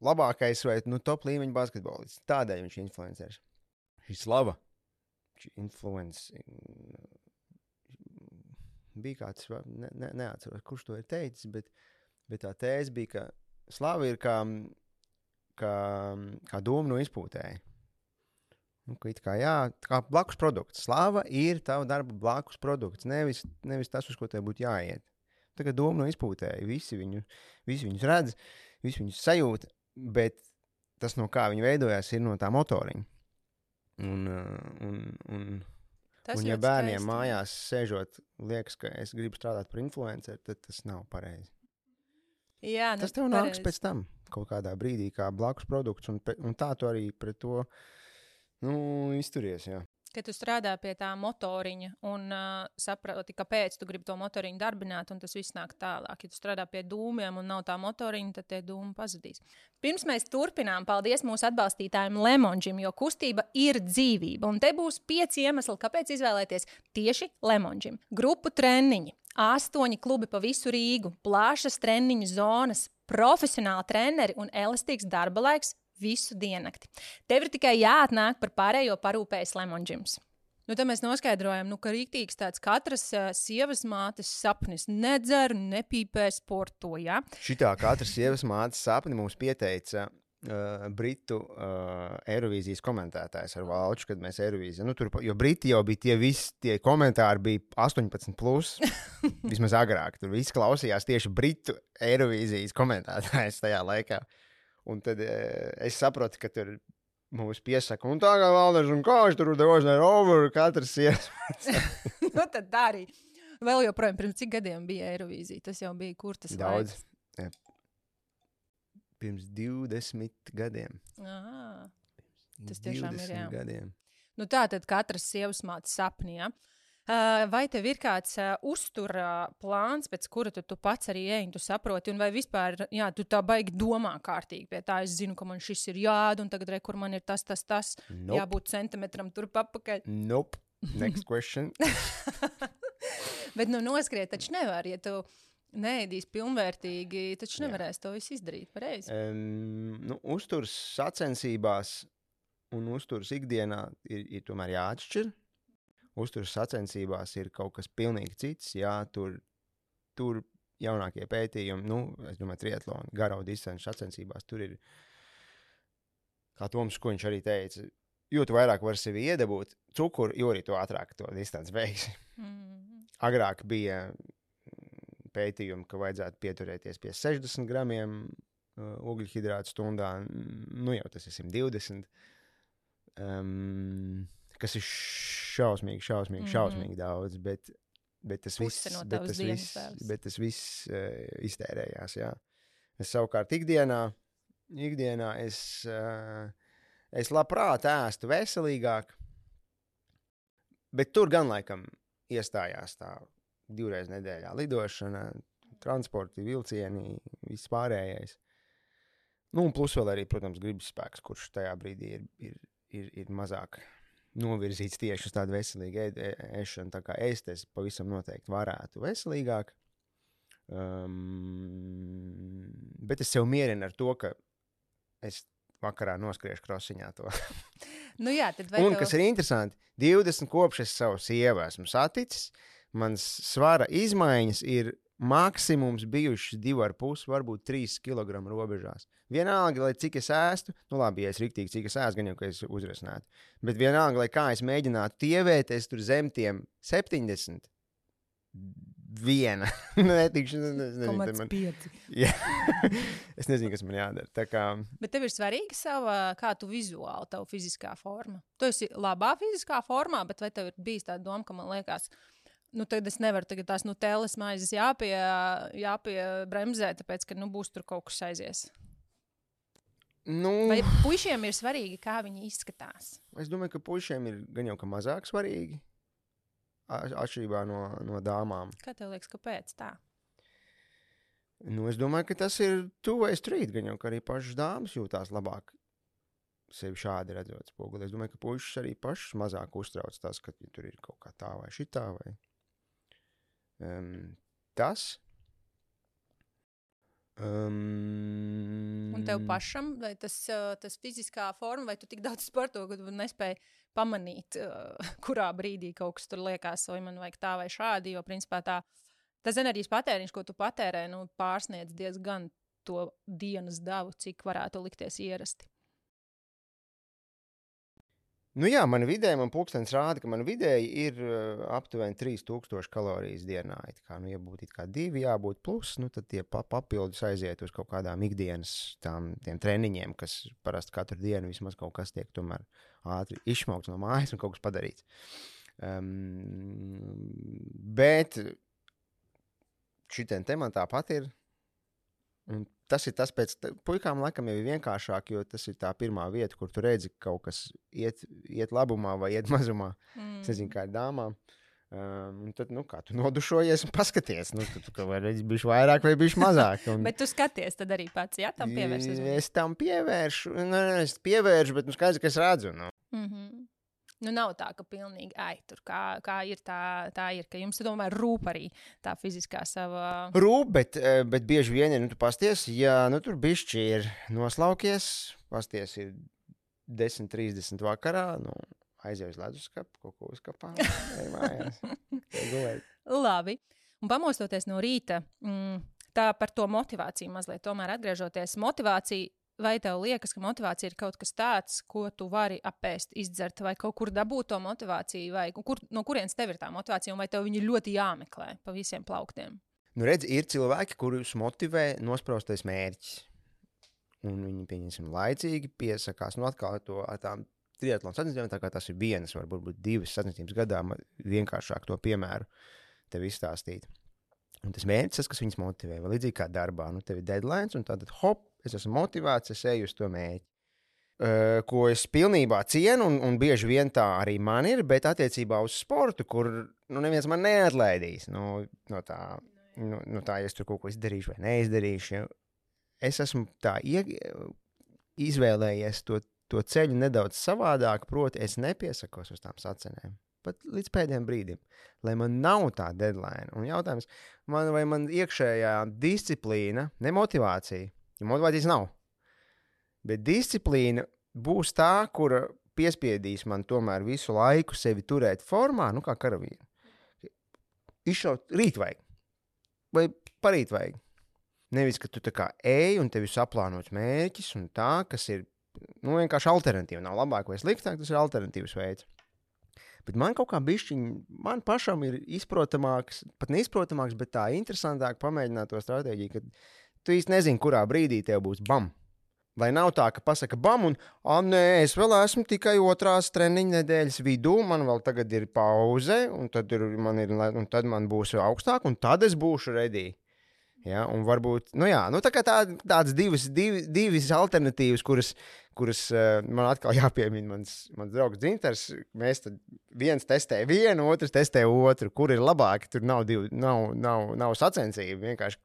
labākais vai top līmeņa basketbolists. Tādēļ viņš ir influenceris. Šī slava, šī influence bija kāds, neatceros, kurš to ir teicis, bet tā tēze bija, ka slava ir kā doma no izpūtēja. Kā blakus produkts. Slava ir tava darba blakus produkts, nevis tas, uz ko tev būtu jāiet. Tā kā doma no izpūtēja. Visi viņus redz, visi viņus sajūt, bet tas, no kā viņi veidojās, ir no tā motoriņa. Un ja bērniem mājās sēžot, liekas, ka es gribu strādāt par influenceru, tad tas nav pareizi. Jā, tas tev nāks pēc tam kaut kādā brīdī kā blakus produkts, un tā tu arī pret to izturies, jā. Kad tu strādā pie tā motoriņa un saproti, kāpēc tu gribi to motoriņu darbināt, un tas viss nāk tālāk. Ja tu strādā pie dūmiem un nav tā motoriņa, tad tie dūmi pazudīs. Pirms mēs turpinām, paldies mūsu atbalstītājiem Lemonžim, jo kustība ir dzīvība. Un te būs 5 iemesli, kāpēc izvēlēties tieši Lemonžim. Grupu treniņi, 8 klubi pa visu Rīgu, plašas treniņu zonas, profesionāli treneri un elastīgs darba laiks visu diennakti. Tev ir tikai jāatnāk par pārējo parūpējas Lemonžims. Tad mēs noskaidrojam, ka rīktīgs tāds katras sievas mātes sapnis nedzer, nepīpē, sporto, ja? Šitā katras sievas mātes sapni mums pieteica Britu Eirovīzijas komentētājs ar Valču, kad mēs Eirovīziju. Jo Briti jau bija tie komentāri bija 18+, vismaz agrāk. Tur viss klausījās tieši Britu Eirovīzijas komentētājs tajā laikā. Un tad es saprotu, ka tur mums piesaka, un tā kā Valders un Kāš tur dožnē over katras sievas. Tad tā arī. Vēl joprojām, pirms cik gadiem bija Eirovīzija? Tas jau bija kur tas daudz. Pirms 20 gadiem. Tas tiešām ir, jā. Gadiem. Tā tad katras sievas mātes sapni, ja? Vai tev ir kāds uztura plāns, pēc kura tu pats arī ej, tu saproti, un vai vispār, tu tā baigi domā kārtīgi pie tā, es zinu, ka man šis ir jāda, un tagad kur man ir tas, nope. Jābūt centimetram tur papakaļ. Nope. Next question. Bet noskriet taču nevar, ja tu neēdīs pilnvērtīgi, taču nevarēs to visu izdarīt, pareizi? Uzturs sacensībās un uzturs ikdienā ir tomēr jāatšķir. Uzturs sacensībās ir kaut kas pilnīgi cits, tur jaunākie pētījumi, es domāju, triatlona, garo distanču sacensībās, tur ir, kā Toms Kuņš arī teica, jo tu vairāk vari sevi iedabūt cukuru, jo arī tu ātrāk to distanci beigsi. Agrāk bija pētījumi, ka vajadzētu pieturēties pie 60 gramiem ugļhidrātu stundā, jau tas ir 120. Kas ir šausmīgi daudz, bet tas viss iztērējās, jā. Es savukārt ikdienā es labprāt ēstu veselīgāk, bet tur gan laikam iestājās tā 2 reizes nedēļā lidošana, transporti, vilcieni, viss pārējais. Un plus vēl arī, protams, gribas spēks, kurš tajā brīdī ir mazāk novirzīts tieši uz tādu veselīgu ēšanu, tā kā es pavisam noteikti varētu veselīgāk. Bet es sev mierinu ar to, ka es vakarā noskriešu krosiņā to. Un, kas ir interesanti, 20 kopš es savu sievu esmu saticis, mans svara izmaiņas ir maksimums bijušas 2,5, varbūt 3 kilogramu robežās. Vienalga, lai cik es ēstu, labi, ja es riktīgi cik es ēstu, gan jau, ka es uzresnētu. Bet vienalga, lai kā es mēģinātu tievēt, es tur zem tiem 70 viena. Netikšu, nezinu, Komats 5. Jā. Es nezinu, kas man jādara. Tā kā... Bet tev ir svarīga kā tu vizuāli, tavu fiziskā forma. Tu esi labā fiziskā formā, bet vai tev ir bijis tā doma, ka man liekas, tagad es nevaru tās Nutellas maizes jāpiebremzē, tāpēc, ka būs tur kaut kas aizies. Vai puišiem ir svarīgi, kā viņi izskatās? Es domāju, ka puišiem ir gan jau ka mazāk svarīgi, atšķirībā no dāmām. Kā tev liekas, kāpēc tā? Es domāju, ka tas ir two-way street, gan jau ka arī pašas dāmas jūtās labāk sevi šādi redzot spoguli. Es domāju, ka puišas arī pašas mazāk uztrauc tas, ka tur ir kaut kā tā vai šitā vai tas. Un tev pašam, vai tas fiziskā forma, vai tu tik daudz sporto, ka tu nespēji pamanīt, kurā brīdī kaut kas tur liekas, vai man vajag tā vai šādi, jo principā tas enerģijas patēriņš, ko tu patērē, pārsniedz diezgan to dienas davu, cik varētu likties ierasti. Jā, man pulkstenis rāda, ka man vidēji ir aptuveni 3000 kalorijas dienā. Ja būtu 2, jābūt plus, tad tie papildus aiziet uz kaut kādām ikdienas tiem treniņiem, kas parasti katru dienu vismaz kaut kas tiek tomēr ātri izšmaukts no mājas un kaut kas padarīts. Bet šitien te man tāpat ir. Un tas ir tas pēc puikām laikam jau ir vienkāršāk, jo tas ir tā pirmā vieta, kur tu redzi kaut kas iet labumā vai iet mazumā. Es nezinu, kā ir dāmām. Un tad, kā tu nodušojies un paskaties, tu vai redzi bišķi vairāk vai bišķi mazāk. Bet tu skaties tad arī pats, jā, tam pievērsies? Es tam pievēršu, es pievēršu, bet skaidrs, ka es redzu. Nav tā, ka pilnīgi, tur kā ir, tā ir, ka jums tomēr rūp arī tā fiziskā sava... Rūp, bet bieži vien, tu pasties, ja tur bišķi ir noslaukies, pasties ir 10:30 vakarā, aizies leduskapu, kaut ko uzkapā, ej mājās. Labi. Un pamostoties no rīta, tā par to motivāciju mazliet, tomēr atgriežoties, motivācija, vai tev liekas, ka motivācija ir kaut kas tāds, ko tu vari apēst, izdzert, vai kaut kur dabūt to motivāciju, vai no kurienes tev ir tā motivācija, un vai tev viņi ļoti jāmeklē pa visiem plauktiem? Redz, ir cilvēki, kurus motivē nospraustais mērķis. Un viņi, pieņemsim, laicīgi piesakās, atkal ar tām triatlona sacensībām, tā kā tas ir vienas, varbūt 2 sacensības gadā, vienkāršāk to piemēru tev izstāstīt. Un tas mērķis, tas, kas viņus motivē, vai līdzīgi kā darbā, tev ir deadlines, un tad hop, es esmu motivēts, es eju uz to mērķi. Ko es pilnībā cienu, un bieži vien tā arī man ir, bet attiecībā uz sportu, kur neviens man neatlaidīs no tā, ja es tur kaut ko izdarīšu vai neizdarīšu. Ja. Es esmu tā izvēlējies to ceļu nedaudz savādāk, proti es nepiesakos uz tām sacenēm. Pat līdz pēdējiem brīdim, lai man nav tā deadline. Un jautājums, vai man iekšējā disciplīna, ne motivācija, jo motivācijas nav, bet disciplīna būs tā, kura piespiedīs man tomēr visu laiku sevi turēt formā, kā karavīru. Izšaut rīt vajag, vai parīt vajag. Nevis, ka tu tā kā ej un tev ir saplānots mērķis un tā, kas ir vienkārši alternatīva. Nav labāk vai sliktāk, tas ir alternatīvs veids. Bet man kaut kā man pašam ir izprotamāks, pat neizprotamāks, bet tā interesantāk pamēģināt to stratēģiju, ka tu īsti nezini, kurā brīdī tev būs bam. Lai nav tā, ka pasaka bam un, nē, es vēl esmu tikai 2. treniņa nedēļas vidū, man vēl tagad ir pauze, un tad man būs augstāk, un tad es būšu ready. Ja, un varbūt, tā kā tādas divas alternatīvas, kuras man atkal jāpiemina mans draugs Dzintars, mēs tad viens testē vienu, otrs testē otru, kur ir labāki, tur nav sacensība, vienkārši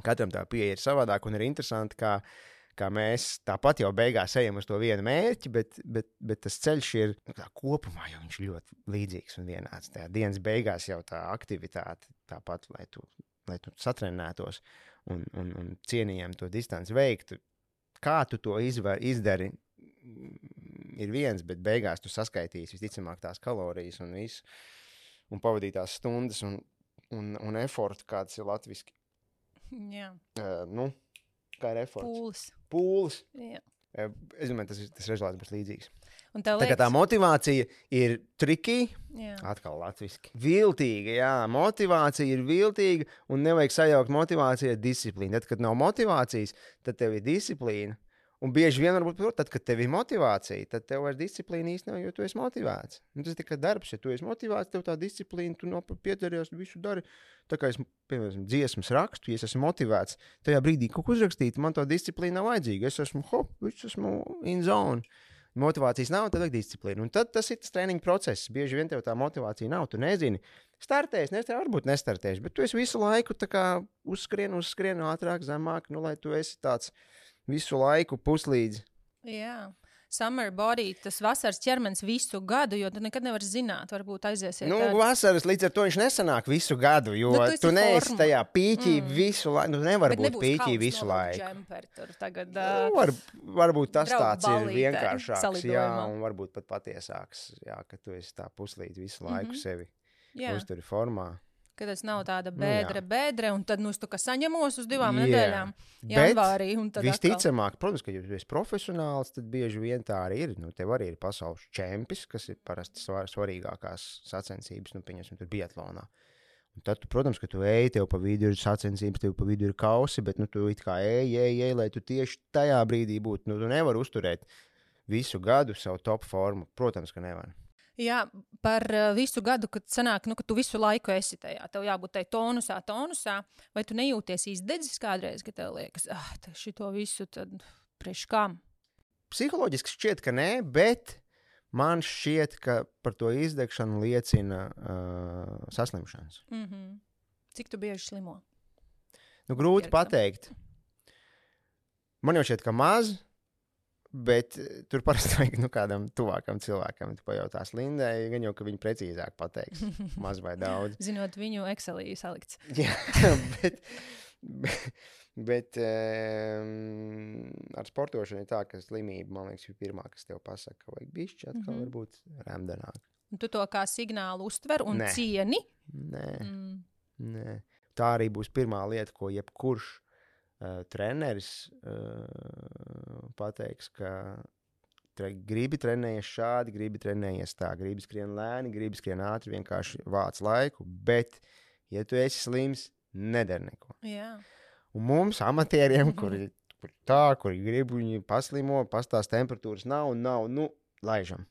katram tā pieeja ir savādāk un ir interesanti, kā mēs tāpat jau beigās ejam uz to vienu mērķi, bet tas ceļš ir kopumā, jo viņš ļoti līdzīgs un vienāds. Tajā dienas beigās jau tā aktivitāte tāpat, lai tu satrenētos un cienījami to distanci veiktu. Kā tu to izdari, ir viens, bet beigās tu saskaitīsi visticamāk tās kalorijas un visu, un pavadītās stundas un efortu, kāds ir latviski. Jā. Kā ir eforts? Pūles. Jā. Es domāju, tas rezultāts būs līdzīgs. Tā motivācija ir tricky, Jā. atkal latviski. Viltīga, jā, motivācija ir viltīga un nevajag sajaukt motivāciju ar disciplīnu. Tad, kad nav motivācijas, tad tev ir disciplīna. Un bieži vien varbūt, tad, kad tev ir motivācija, tad tev vairs disciplīna īsti nav, jo tu esi motivēts. Un tas ir tikai darbs, ja tu esi motivēts, tev tā disciplīna, tu piedaries, visu dari. Tā kā es, piemēram, dziesmas rakstu, ja es esmu motivēts, tajā brīdī kaut ko uzrakstīt, man tā disciplīna nav vajadzīga. Es esmu in zone. Motivācijas nav, tad vajag disciplīnu. Un tad tas ir tas treniņa process. Bieži vien tev tā motivācija nav, tu nezini. Startēs, varbūt nestartēs, bet tu esi visu laiku tā kā uzskrien ātrāk, zemāk, lai tu esi tāds visu laiku puslīdz. Jā. Summer body, tas vasaras ķermenis visu gadu, jo tu nekad nevar zināt, varbūt aiziesiet. Vasaras līdz ar to viņš nesanāk visu gadu, jo tu neesi tajā pīķī visu laiku. Nevar būt pīķī visu laiku. Džemperi, tur tagad, varbūt tas tāds ir vienkāršāks, jā, un varbūt pat patiesāks, jā, ka tu esi tā puslīdz visu laiku sevi uzturi formā. Ka tas nav tāda bēdre, un tad es saņemos uz 2 nedēļām janvārī. Visticamāk, protams, ka ja tu esi profesionāls, tad bieži vien tā arī ir. Tev arī ir pasaules čempis, kas ir parasti svarīgākās sacensības, pieņemsim, tur biatlonā. Un tad, protams, ka tu ej, tev pa vidu ir sacensības, tev pa vidu ir kausi, bet tu it kā ej, lai tu tieši tajā brīdī būtu. Tu nevari uzturēt visu gadu savu top formu. Protams, ka nevar. Jā, par visu gadu, kad sanāk, ka tu visu laiku esi tajā, tev jābūt tai tonusā, vai tu nejūties izdedzis kādreiz, ka tev liekas, šito visu tad priekš kam? Psiholoģiski šķiet, ka nē, bet man šķiet, ka par to izdegšanu liecina saslimšanas. Cik tu bieži slimo? Grūti pateikt. Man jau šķiet, ka maz. Bet tur parasti vajag kādam tuvākam cilvēkam. Tu pajautās Lindai, gan jau, ka viņi precīzāk pateiks, maz vai daudz. Zinot viņu Excelī salikts. Jā, bet ar sportošanu ir tā, ka slimība, man liekas, ir pirmā, kas tev pasaka, ka vajag bišķi atkal varbūt remdenāk. Un tu to kā signālu uztver un cieni? Nē. Tā arī būs pirmā lieta, ko jebkurš treneris pateiks, ka gribi trenējies šādi, gribi trenējies tā, gribi skrien lēni, gribi skrien ātri, vienkārši vāc laiku, bet, ja tu esi slims, nedari neko. Jā. Un mums, amatieriem, kuri grib viņi paslimo, pastās temperatūras nav, laižam.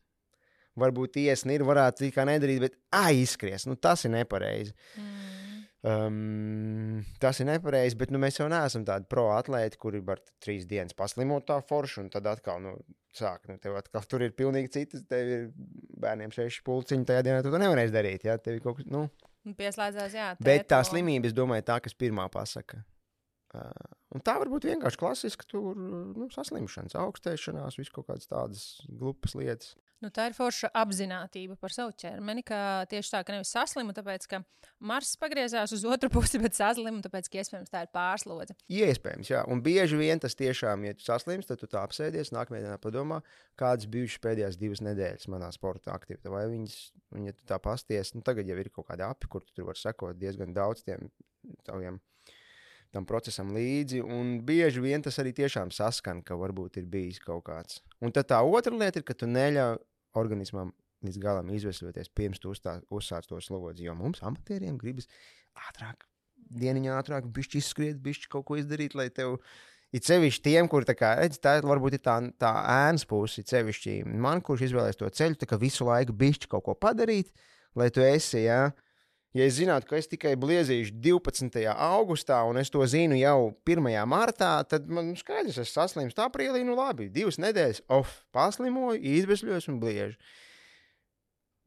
Varbūt iesni ir, varētu kā nedarīt, bet izskries, tas ir nepareizi. Tas ir nepareizi, bet mēs jau neesam tādi pro atlēti, kuri var 3 dienas paslimot tā forši, un tad atkal sāk. Tev atkal tur ir pilnīgi citas, tev ir bērniem 6 pulciņi, tajā dienā tu to nevarēsi darīt, jā, tev ir kaut kas, Pieslēdzās, jā. Bet tā slimība, es domāju, tā, kas pirmā pasaka. Un tā varbūt vienkārši klasiski tur, saslimšanas, augstēšanās, visu kaut kādas tādas glupas lietas. Tā ir forša apzinātība par savu ķermeni, ka tieši tā, ka nevis saslimu, tāpēc, ka Mars pagriezās uz otru pusi, bet saslimu, tāpēc, ka iespējams tā ir pārslodze. Iespējams, jā. Un bieži vien tas tiešām, ja tu saslims, tad tu tā apsēdies, nākamajā dienā padomā, kādas bijušas pēdējās 2 nedēļas manā sporta aktivitātē. Vai viņas, un ja tu tā pasties, tagad jau ir kaut kādi api, kur tu tur var sekot diezgan daudz tam procesam līdzi, un bieži vien tas arī tiešām saskan, ka varbūt ir bijis kaut kāds. Un tad tā otra lieta ir, ka tu neļauj organismam līdz galam izvesļoties, pirms tu uzsāc to slodzi, jo mums amatieriem gribas ātrāk, dieniņā ātrāk, bišķi izskriet, bišķi kaut ko izdarīt, lai tev, it sevišķi tiem, kur tā varbūt ir tā ēnas pusi, it sevišķi man, kurš izvēlēs to ceļu, tā kā visu laiku bišķi kaut ko padarīt, lai tu esi, jā. Ja es zinātu, ka es tikai bliezīšu 12. augustā, un es to zinu jau 1. martā, tad man skaidrs, es saslimstu aprīlī, labi, 2 nedēļas, paslimoju, izbesļos un bliežu.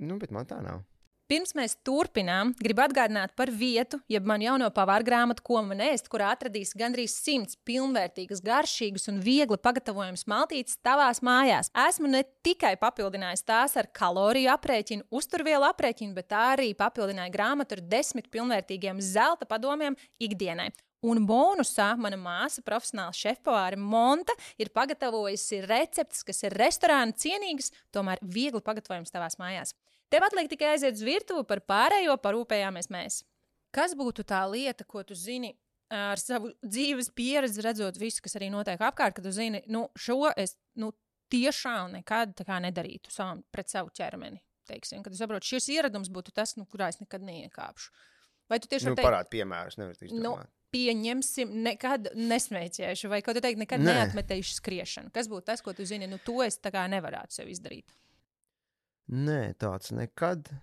Bet man tā nav. Pirms mēs turpinām, gribu atgādināt par vietu, jeb man jauno pavāra grāmatu, ko man ēst, kurā atradīs gandrīz 100 pilnvērtīgas, garšīgas un viegli pagatavojamas maltītes tavās mājās. Esmu ne tikai papildinājis tās ar kaloriju aprēķinu, uzturvielu aprēķinu, bet arī papildināju grāmatu ar 10 pilnvērtīgiem zelta padomiem ikdienai. Un bonusā mana māsa, profesionāla šefpavāre Monta, ir pagatavojusi receptes, kas ir restorāna cienīgas, tomēr viegli pagatavojams tavās mājās. Tev atliek tikai aiziet uz virtuvi, par pārējo parūpējāmies mēs. Kas būtu tā lieta, ko tu zini ar savu dzīves pieredzi, redzot visu, kas arī notiek apkārt, ka tu zini, šo es tiešām nekad tā kā nedarītu pret savu ķermeni? Teiksim, kad tu saproti, šis ieradums būtu tas, kurā es nekad neiekāpšu. Vai tu tieši parādi piemērus, nevar tu izdomāt. Pieņemsim, nekad nesmēķēšu, vai kaut tu teikt, nekad neatmetēšu skriešanu. Kas būtu tas, ko tu zini, to es tā kā nevarētu sev izdarīt? Nē, tāds nekad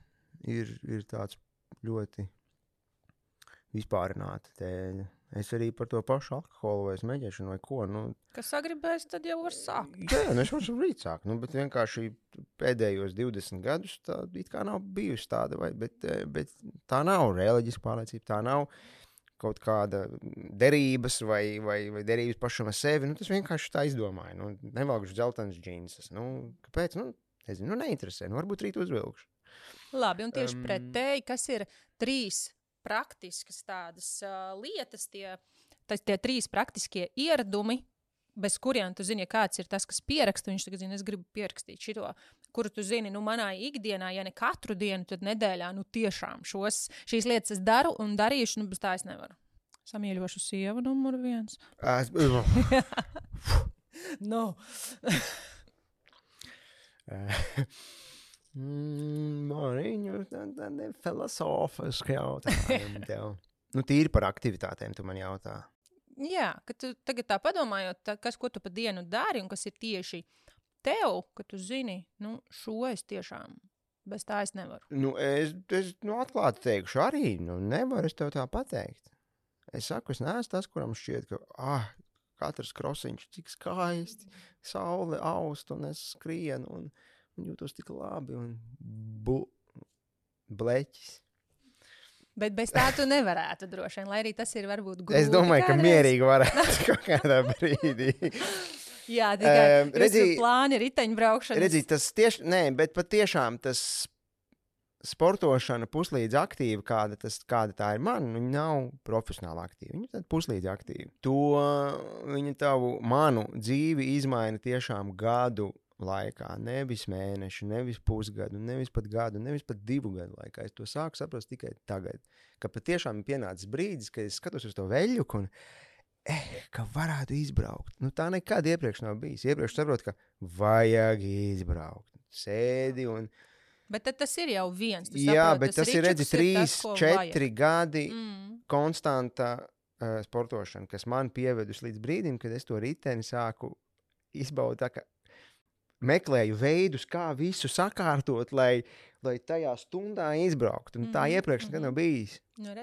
ir tāds ļoti vispārināta tēļa. Es arī par to pašu alkoholu vai smēķēšanu vai ko. Kas sagribēs, tad jau var sākt. Jā, es varu rīt sākt. Bet vienkārši pēdējos 20 gadus tā it kā nav bijusi tāda, bet tā nav reliģiska pārliecība, tā nav kaut kāda derības vai derības pašam ar sevi. Tas vienkārši tā izdomāju. Nevalkšu dzeltenas džīnsas. Kāpēc? Nezinu, neinteresē. Varbūt rīt uzvilkšu. Labi, un tieši pretēji, kas ir 3 praktiskas tādas lietas, tie 3 praktiskie ieradumi, bez kuriem tu zini, ja kāds ir tas, kas pieraksta, viņš tagad zina, es gribu pierakstīt šito, kuru tu zini, manā ikdienā, ja ne katru dienu, tad nedēļā, tiešām šīs lietas es daru un darīšu, bez tā es nevaru. Samīļošu sievu numuru 1. No. Mariņu, tādi filosofiski jautājumi tev. Tīri par aktivitātēm tu man jautā. Jā, kad tu tagad tā padomājot, ko tu pa dienu dari un kas ir tieši tev, ka tu zini, šo es tiešām, bez tā es nevaru. Es atklāti teikšu arī, nevaru es tev tā pateikt. Es saku, es neesmu tas, kuram šķiet, ka, katrs krosiņš cik skaisti, saule aust un es skrienu un jūtos tik labi un bleķis. Bet bez tā tu nevarētu droši vien, lai arī tas ir varbūt grūti. Es domāju, ka mierīgi varētu kaut kādā brīdī. Jā, tikai jūsu plāni riteņbraukšanas. Redzi, tas tieši, bet patiešām tas sportošana puslīdz aktīva, kāda tā ir man, viņa nav profesionāli aktīva. Viņa tad puslīdz aktīva. Viņa manu dzīvi izmaina tiešām gadu laikā, nevis mēnešu, nevis pusgadu, nevis pat gadu, nevis pat 2 gadu laikā. Es to sāku saprast tikai tagad, ka patiešām ir pienācis brīdis, kad es skatos uz to veļuku un ka varētu izbraukt. Tā nekad iepriekš nav bijis. Iepriekš saprotu, ka vajag izbraukt. Sēdi un... Bet tad tas ir jau viens. Jā, bet tas ir, redzi, 3-4 gadi konstanta sportošana, kas man pievedus līdz brīdim, kad es to riteni sāku izbaudīt tā, ka meklēju veidus, kā visu sakārtot, lai tajā stundā izbrauktu. Tā iepriekš nekad nav bijis.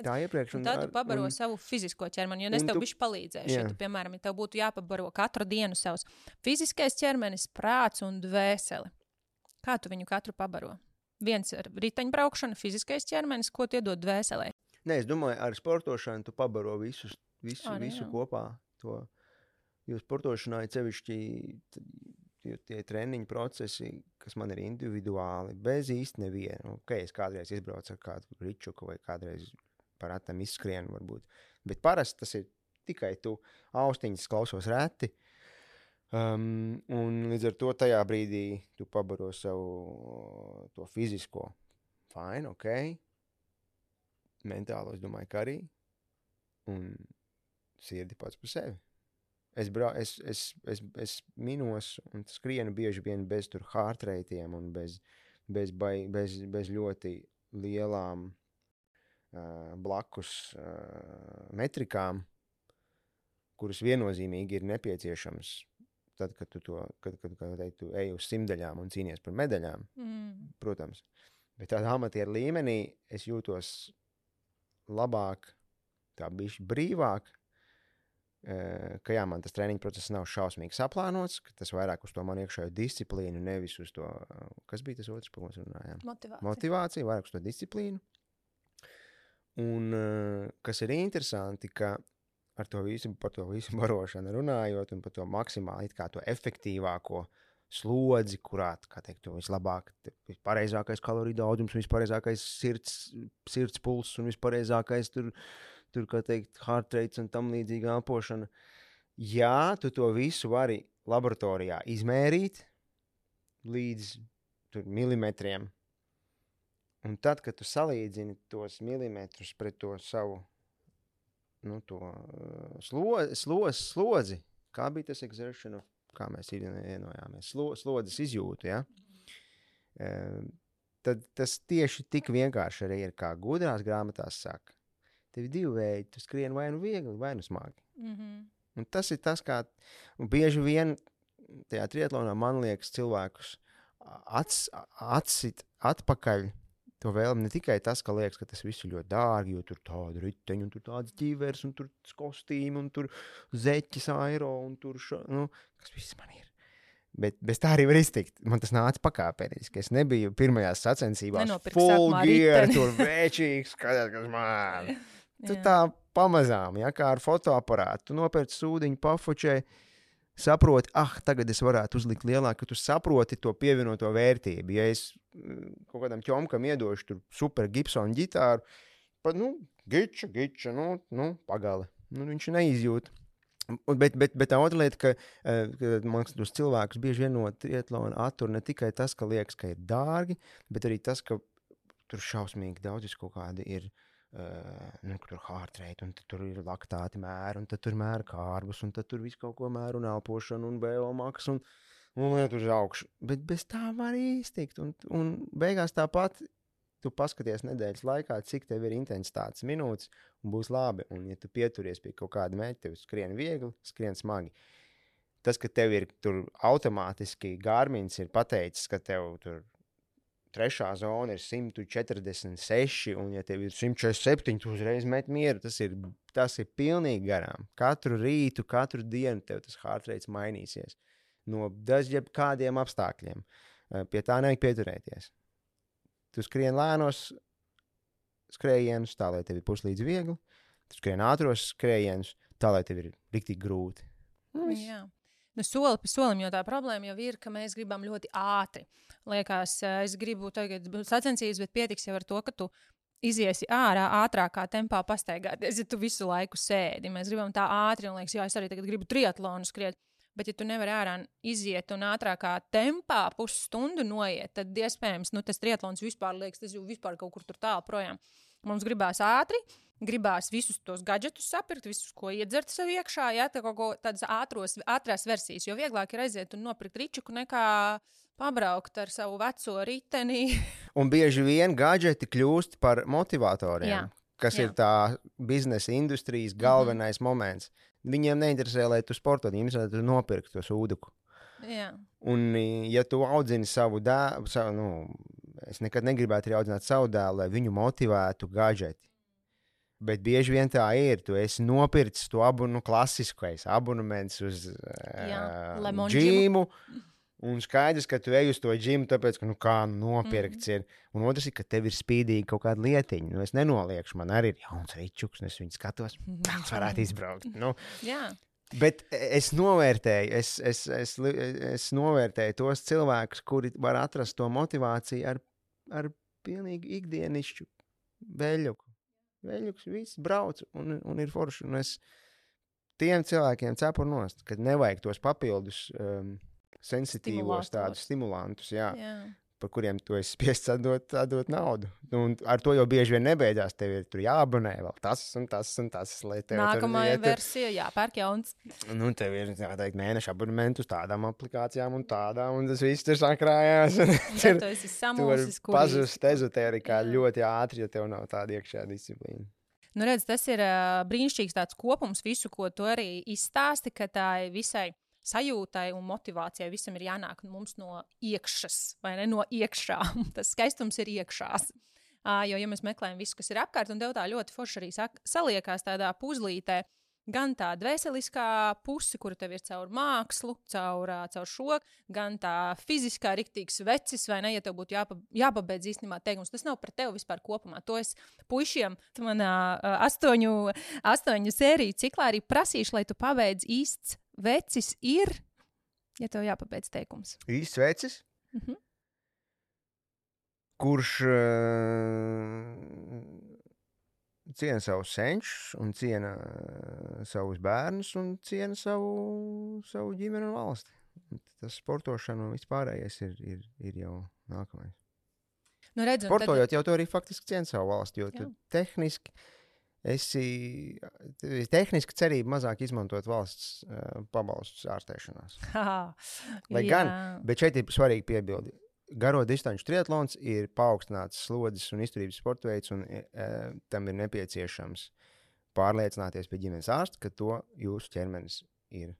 Tā iepriekš. Tad tu pabaro savu fizisko ķermeni, jo es tev bišķi palīdzēšu. Ja tu, piemēram, tev būtu jāpabaro katru dienu savs fiziskais ķermenis, prāts un dvēseli. Kā tu viņu katru pabaro? Viens ir riteņbraukšana, fiziskais ķermenis, ko tu iedod dvēselē? Nē, es domāju, ar sportošanu tu pabaro visu kopā. Jo sportošanā ir sevišķi tie treniņu procesi, kas man ir individuāli, bez īsti nevienu. Es kādreiz izbraucu ar kādu ričuku vai kādreiz par atam izskrienu varbūt. Bet parasti tas ir tikai tu austiņas klausos reti. Un līdz ar to tajā brīdī tu pabaro savu to fizisko. Fine, ok. Mentālo, es domāju, ka arī. Un sirdi pats par sevi. Es minos un skrienu bieži vien bez tur heart rateiem un bez ļoti lielām blakus metrikām, kuras viennozīmīgi ir nepieciešams tad, kad tu ej uz simdaļām un cīnies par medaļām, protams. Bet tādā amatieru līmenī es jūtos labāk, tā bišķi brīvāk, ka jā, man tas treniņu process nav šausmīgi saplānots, ka tas vairāk uz to man iekšējo disciplīnu, nevis uz to, kas bija tas otrs, par ko mēs runājām? Motivācija, vairāk uz to disciplīnu. Un kas ir interesanti, ka par to visu barošanu runājot un par to maksimāli it kā to efektīvāko slodzi, kurā, kā teikt, to vislabāk, vispareizākais kaloriju daudzums, vispareizākais sirds pulss un vispareizākais tur, kā teikt, heart rates un tam līdzīga elpošana. Jā, tu to visu vari laboratorijā izmērīt līdz milimetriem. Un tad, kad tu salīdzini tos milimetrus pret to savu slodzi, kā bija tas exertion of kā mēs vienojāmies, slodzes izjūtu, ja? Tad tas tieši tik vienkārši arī ir, kā gudrās grāmatās saka. Tev ir 2 veidi, tu skrien vai nu viegli, vai nu smagi. Un tas ir tas, kā bieži vien tajā triatlonā, man liekas, cilvēkus atsit atpakaļ to vēlmi ne tikai tas, ka liekas, ka tas viss ir ļoti dārgi, jo tur tāda riteņa, un tur tādas ķīveres, un tur kostīmi, un tur zeķis aero, un tur kas viss man ir. Bet bez tā arī var iztikt. Man tas nāca pakāpeniski. Es nebiju pirmajās sacensībās full gear, tur vēčīgs, kas man. Tu tā pamazām, ja, kā ar fotoaparātu. Tu nopērci sūdiņu, pafočē, saproti, tagad es varētu uzlikt lielāku, ka tu saproti to pievienoto vērtību. Ja es kaut kādam ķomkam iedošu tur super Gibson ģitāru, pat, giča, pagali. Viņš neizjūt. Bet tā otra lieta, ka man liekas, tos cilvēkus bieži vien no triatlona attur ne tikai tas, ka liekas, ka ir dārgi, bet arī tas, ka tur šausmīgi daudz kaut kādi ir, tur heart rate, un tur ir laktāti mēri, un tad tur mēra kārbus, un tad tur viss kaut ko mēra un elpošanu, un BO maks, un liet uz augšu. Bet bez tā var iztikt, un beigās tāpat tu paskaties nedēļas laikā, cik tev ir intensitātes minūtes, un būs labi. Un ja tu pieturies pie kaut kāda mērķa, tev skrien viegli, skrien smagi. Tas, ka tev ir tur automātiski Garmins ir pateicis, ka tev tur trešā zona ir 146, un ja tev ir 147, tu uzreiz met mieru, tas ir pilnīgi garām. Katru rītu, katru dienu tev tas heart rates mainīsies. No dažiem kādiem apstākļiem. Pie tā nevajag pieturēties. Tu skrien lēnos skrējienus, tā, lai tev ir puslīdz viegli. Tu skrien ātros skrējienus, tā, lai tev ir riktīgi grūti. Jā. Soli pa solim, jo tā problēma jau ir, ka mēs gribam ļoti ātri. Liekas, es gribu tagad sacensības, bet pietiks jau ar to, ka tu iziesi ārā ātrākā tempā pastaigāties, ja tu visu laiku sēdi. Mēs gribam tā ātri, un liekas, es arī tagad gribu triatlonu skriet. Bet, ja tu nevari ārā iziet un ātrākā tempā pusstundu noiet, tad iespējams, tas triatlons vispār liekas, tas jau vispār kaut kur tur tālu projām. Mums gribās ātri, gribās visus tos gadžetus sapirkt, visus, ko iedzert sev iekšā, ja, tādas ātrās versijas, jo vieglāk ir aiziet un nopirkt ričuku nekā pabraukt ar savu veco riteni. Un bieži vien gadžeti kļūst par motivatoriem, kas ir tā biznesa industrijas galvenais moments. Viņiem neinteresē, lai tu sportot, viņiem interesē, lai tu nopirktu to sūduku. Jā. Un, ja tu audzini savu dēlu, es nekad negribētu arī audzināt savu dēlu, lai viņu motivētu gadžeti. Bet bieži vien tā ir. Tu esi nopircis to klasiskais abonements uz džimu. Un skaidrs, ka tu ej uz to džimu, tāpēc, ka nopirkts ir. Un otrs ir, ka tev ir spīdīgi kaut kāda lietiņa. Es nenoliekšu, man arī ir jauns ričuks, un es viņu skatos, tāds varētu izbraukt. Jā. Bet es novērtēju, es novērtēju tos cilvēkus, kuri var atrast to motivāciju ar pilnīgi ikdienišķu veļuku. Veļuks viss brauc un ir forši. Un es tiem cilvēkiem cepu nost, kad nevajag tos papildus sensitīvos tādus stimulantus, par kuriem tu esi spiests atdot naudu. Un ar to jau bieži vien nebeidzās. Tev ir tur jāabonē vēl tas un tas un tas. Nākamā versija jāpērk jauns. Tev ir mēneša abonementu uz tādām aplikācijām un tādām, un tas viss tur sakrājās. Tu esi samulsis, tu vari pazust ezotērikā ļoti ātri, ja tev nav tāda iekšējā disciplīna. Redz, tas ir brīnišķīgs tāds kopums visu, ko tu arī izstāsti, ka tā ir visai sajūtai un motivācijai visam ir jānāk mums no iekšas, vai ne, no iekšā. Tas skaistums ir iekšās. Jo, ja mēs meklējam visu, kas ir apkārt, un tev tā ļoti forši arī saliekās tādā puzlītē, gan tā dvēseliskā puse, kura tev ir caur mākslu, caur šo, gan tā fiziskā riktīgs vecis, vai ne, ja tev būtu jāpabeidz īstenībā teikums. Tas nav par tevi vispār kopumā. To es puišiem manā 8 sēriju ciklā arī prasīšu, lai tu pabeidz īsts vecis ir, ja tev jāpabeidz teikums. Īsts vecis? Kurš ciena savus senčus un ciena savus bērnus un ciena savu ģimeni un valsti. Tas sportošana un vispārējais ir jau nākamais. Redz, sportojot jau tu arī faktiski cieni savu valsti, jo tu tehniski esi tehniski cerība mazāk izmantot valsts pabalstus ārstēšanās. Lai gan, bet šeit ir svarīgi piebildi. Garo distanču triatlons ir paaugstināts slodzes un izturības sporta veids, un tam ir nepieciešams pārliecināties pie ģimenes ārsta, ka to jūsu ķermenis ir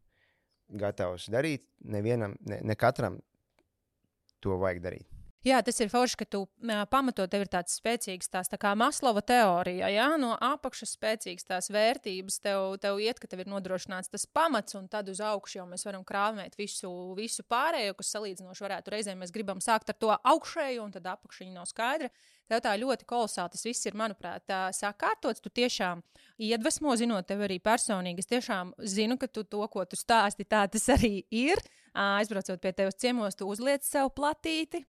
gatavs darīt. Nevienam, ne katram to vajag darīt. Jā, tas ir forši, ka tu pamatot tev ir tāds spēcīgs tās tā kā Maslova teorija, jā, no apakšas spēcīgas tās vērtības, tev iet, ka tev ir nodrošināts tas pamats, un tad uz augšu jau mēs varam krāvēt visu pārējo, kas salīdzinoši varētu reizēm mēs gribam sākt ar to augšēju, un tad apakšiņa nav skaidra. Tev tā ļoti kolosāli, tas viss ir, manuprāt, sakārtots, tu tiešām iedvesmo, zinot tev arī personīgi, es tiešām zinu, ka tu to, ko tu stāsti, tā tas arī ir. Aizbraucot pie tevis ciemos, tu uzliec sev platīti,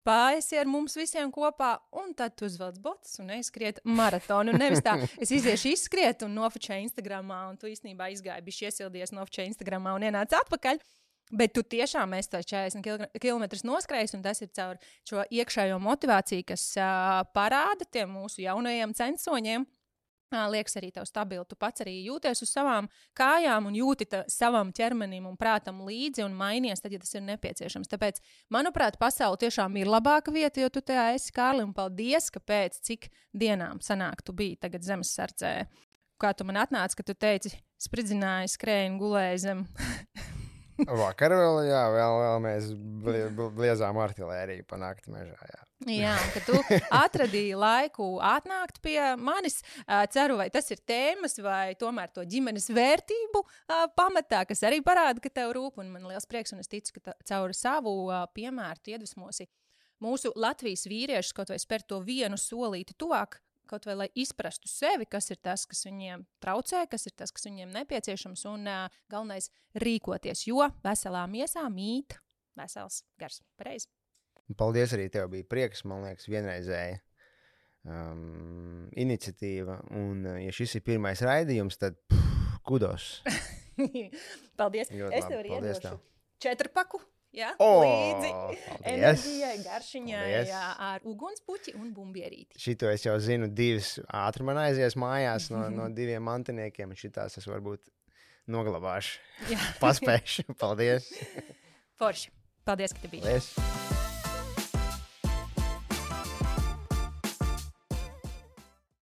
pāriesi ar mums visiem kopā, un tad tu uzvelc botas un aizskriet maratonu. Un nevis tā, es iziešu izskriet un nofočēju Instagramā, un tu īstenībā izgāji, bišķi iesildies, nofočēju Instagramā un ienāc atpakaļ. Bet tu tiešām esi tā 40 kilometrus noskrējis, un tas ir caur šo iekšējo motivāciju, kas parāda tiem mūsu jaunajiem censoņiem. Liekas arī tev stabili, tu pats arī jūties uz savām kājām un jūti savam ķermenim un prātam līdzi un mainies, tad, ja tas ir nepieciešams. Tāpēc, manuprāt, pasaule tiešām ir labāka vieta, jo tu tajā esi, Kārli, un paldies, ka pēc cik dienām sanāk tu biji tagad Zemessardzē. Kā tu man atnāci, ka tu teici, spridzināji, skrēji un gulēji zem. Vakar vēl, jā, vēl mēs bliezām artilēriju pa nakti mežā, jā. Jā, un ka tu atradīji laiku atnākt pie manis. Ceru, vai tas ir tēmas vai tomēr to ģimenes vērtību pamatā, kas arī parāda, ka tev rūp. Un man liels prieks, un es ticu, ka caur savu piemēru tu iedvesmosi mūsu Latvijas vīriešus kaut vai spērt to vienu solīti tuvāk, kaut vai lai izprastu sevi, kas ir tas, kas viņiem traucē, kas ir tas, kas viņiem nepieciešams, un galvenais rīkoties, jo veselā miesā mīt vesels gars. Pareizi. Paldies arī tev, bija prieks, man liekas, vienreizēja iniciatīva, un ja šis ir pirmais raidījums, tad kudos. Paldies. Ļoti es tev arī iedošu 4-paku. Jā, līdzi enerģijai, garšiņai, ar ugunspuķi un bumbierīti. Šito es jau zinu, 2 ātri man aizies mājās no 2 mantiniekiem, un šitās es varbūt noglabāšu. Paspēšu. Paldies. Forši. Paldies, ka tu biji. Paldies.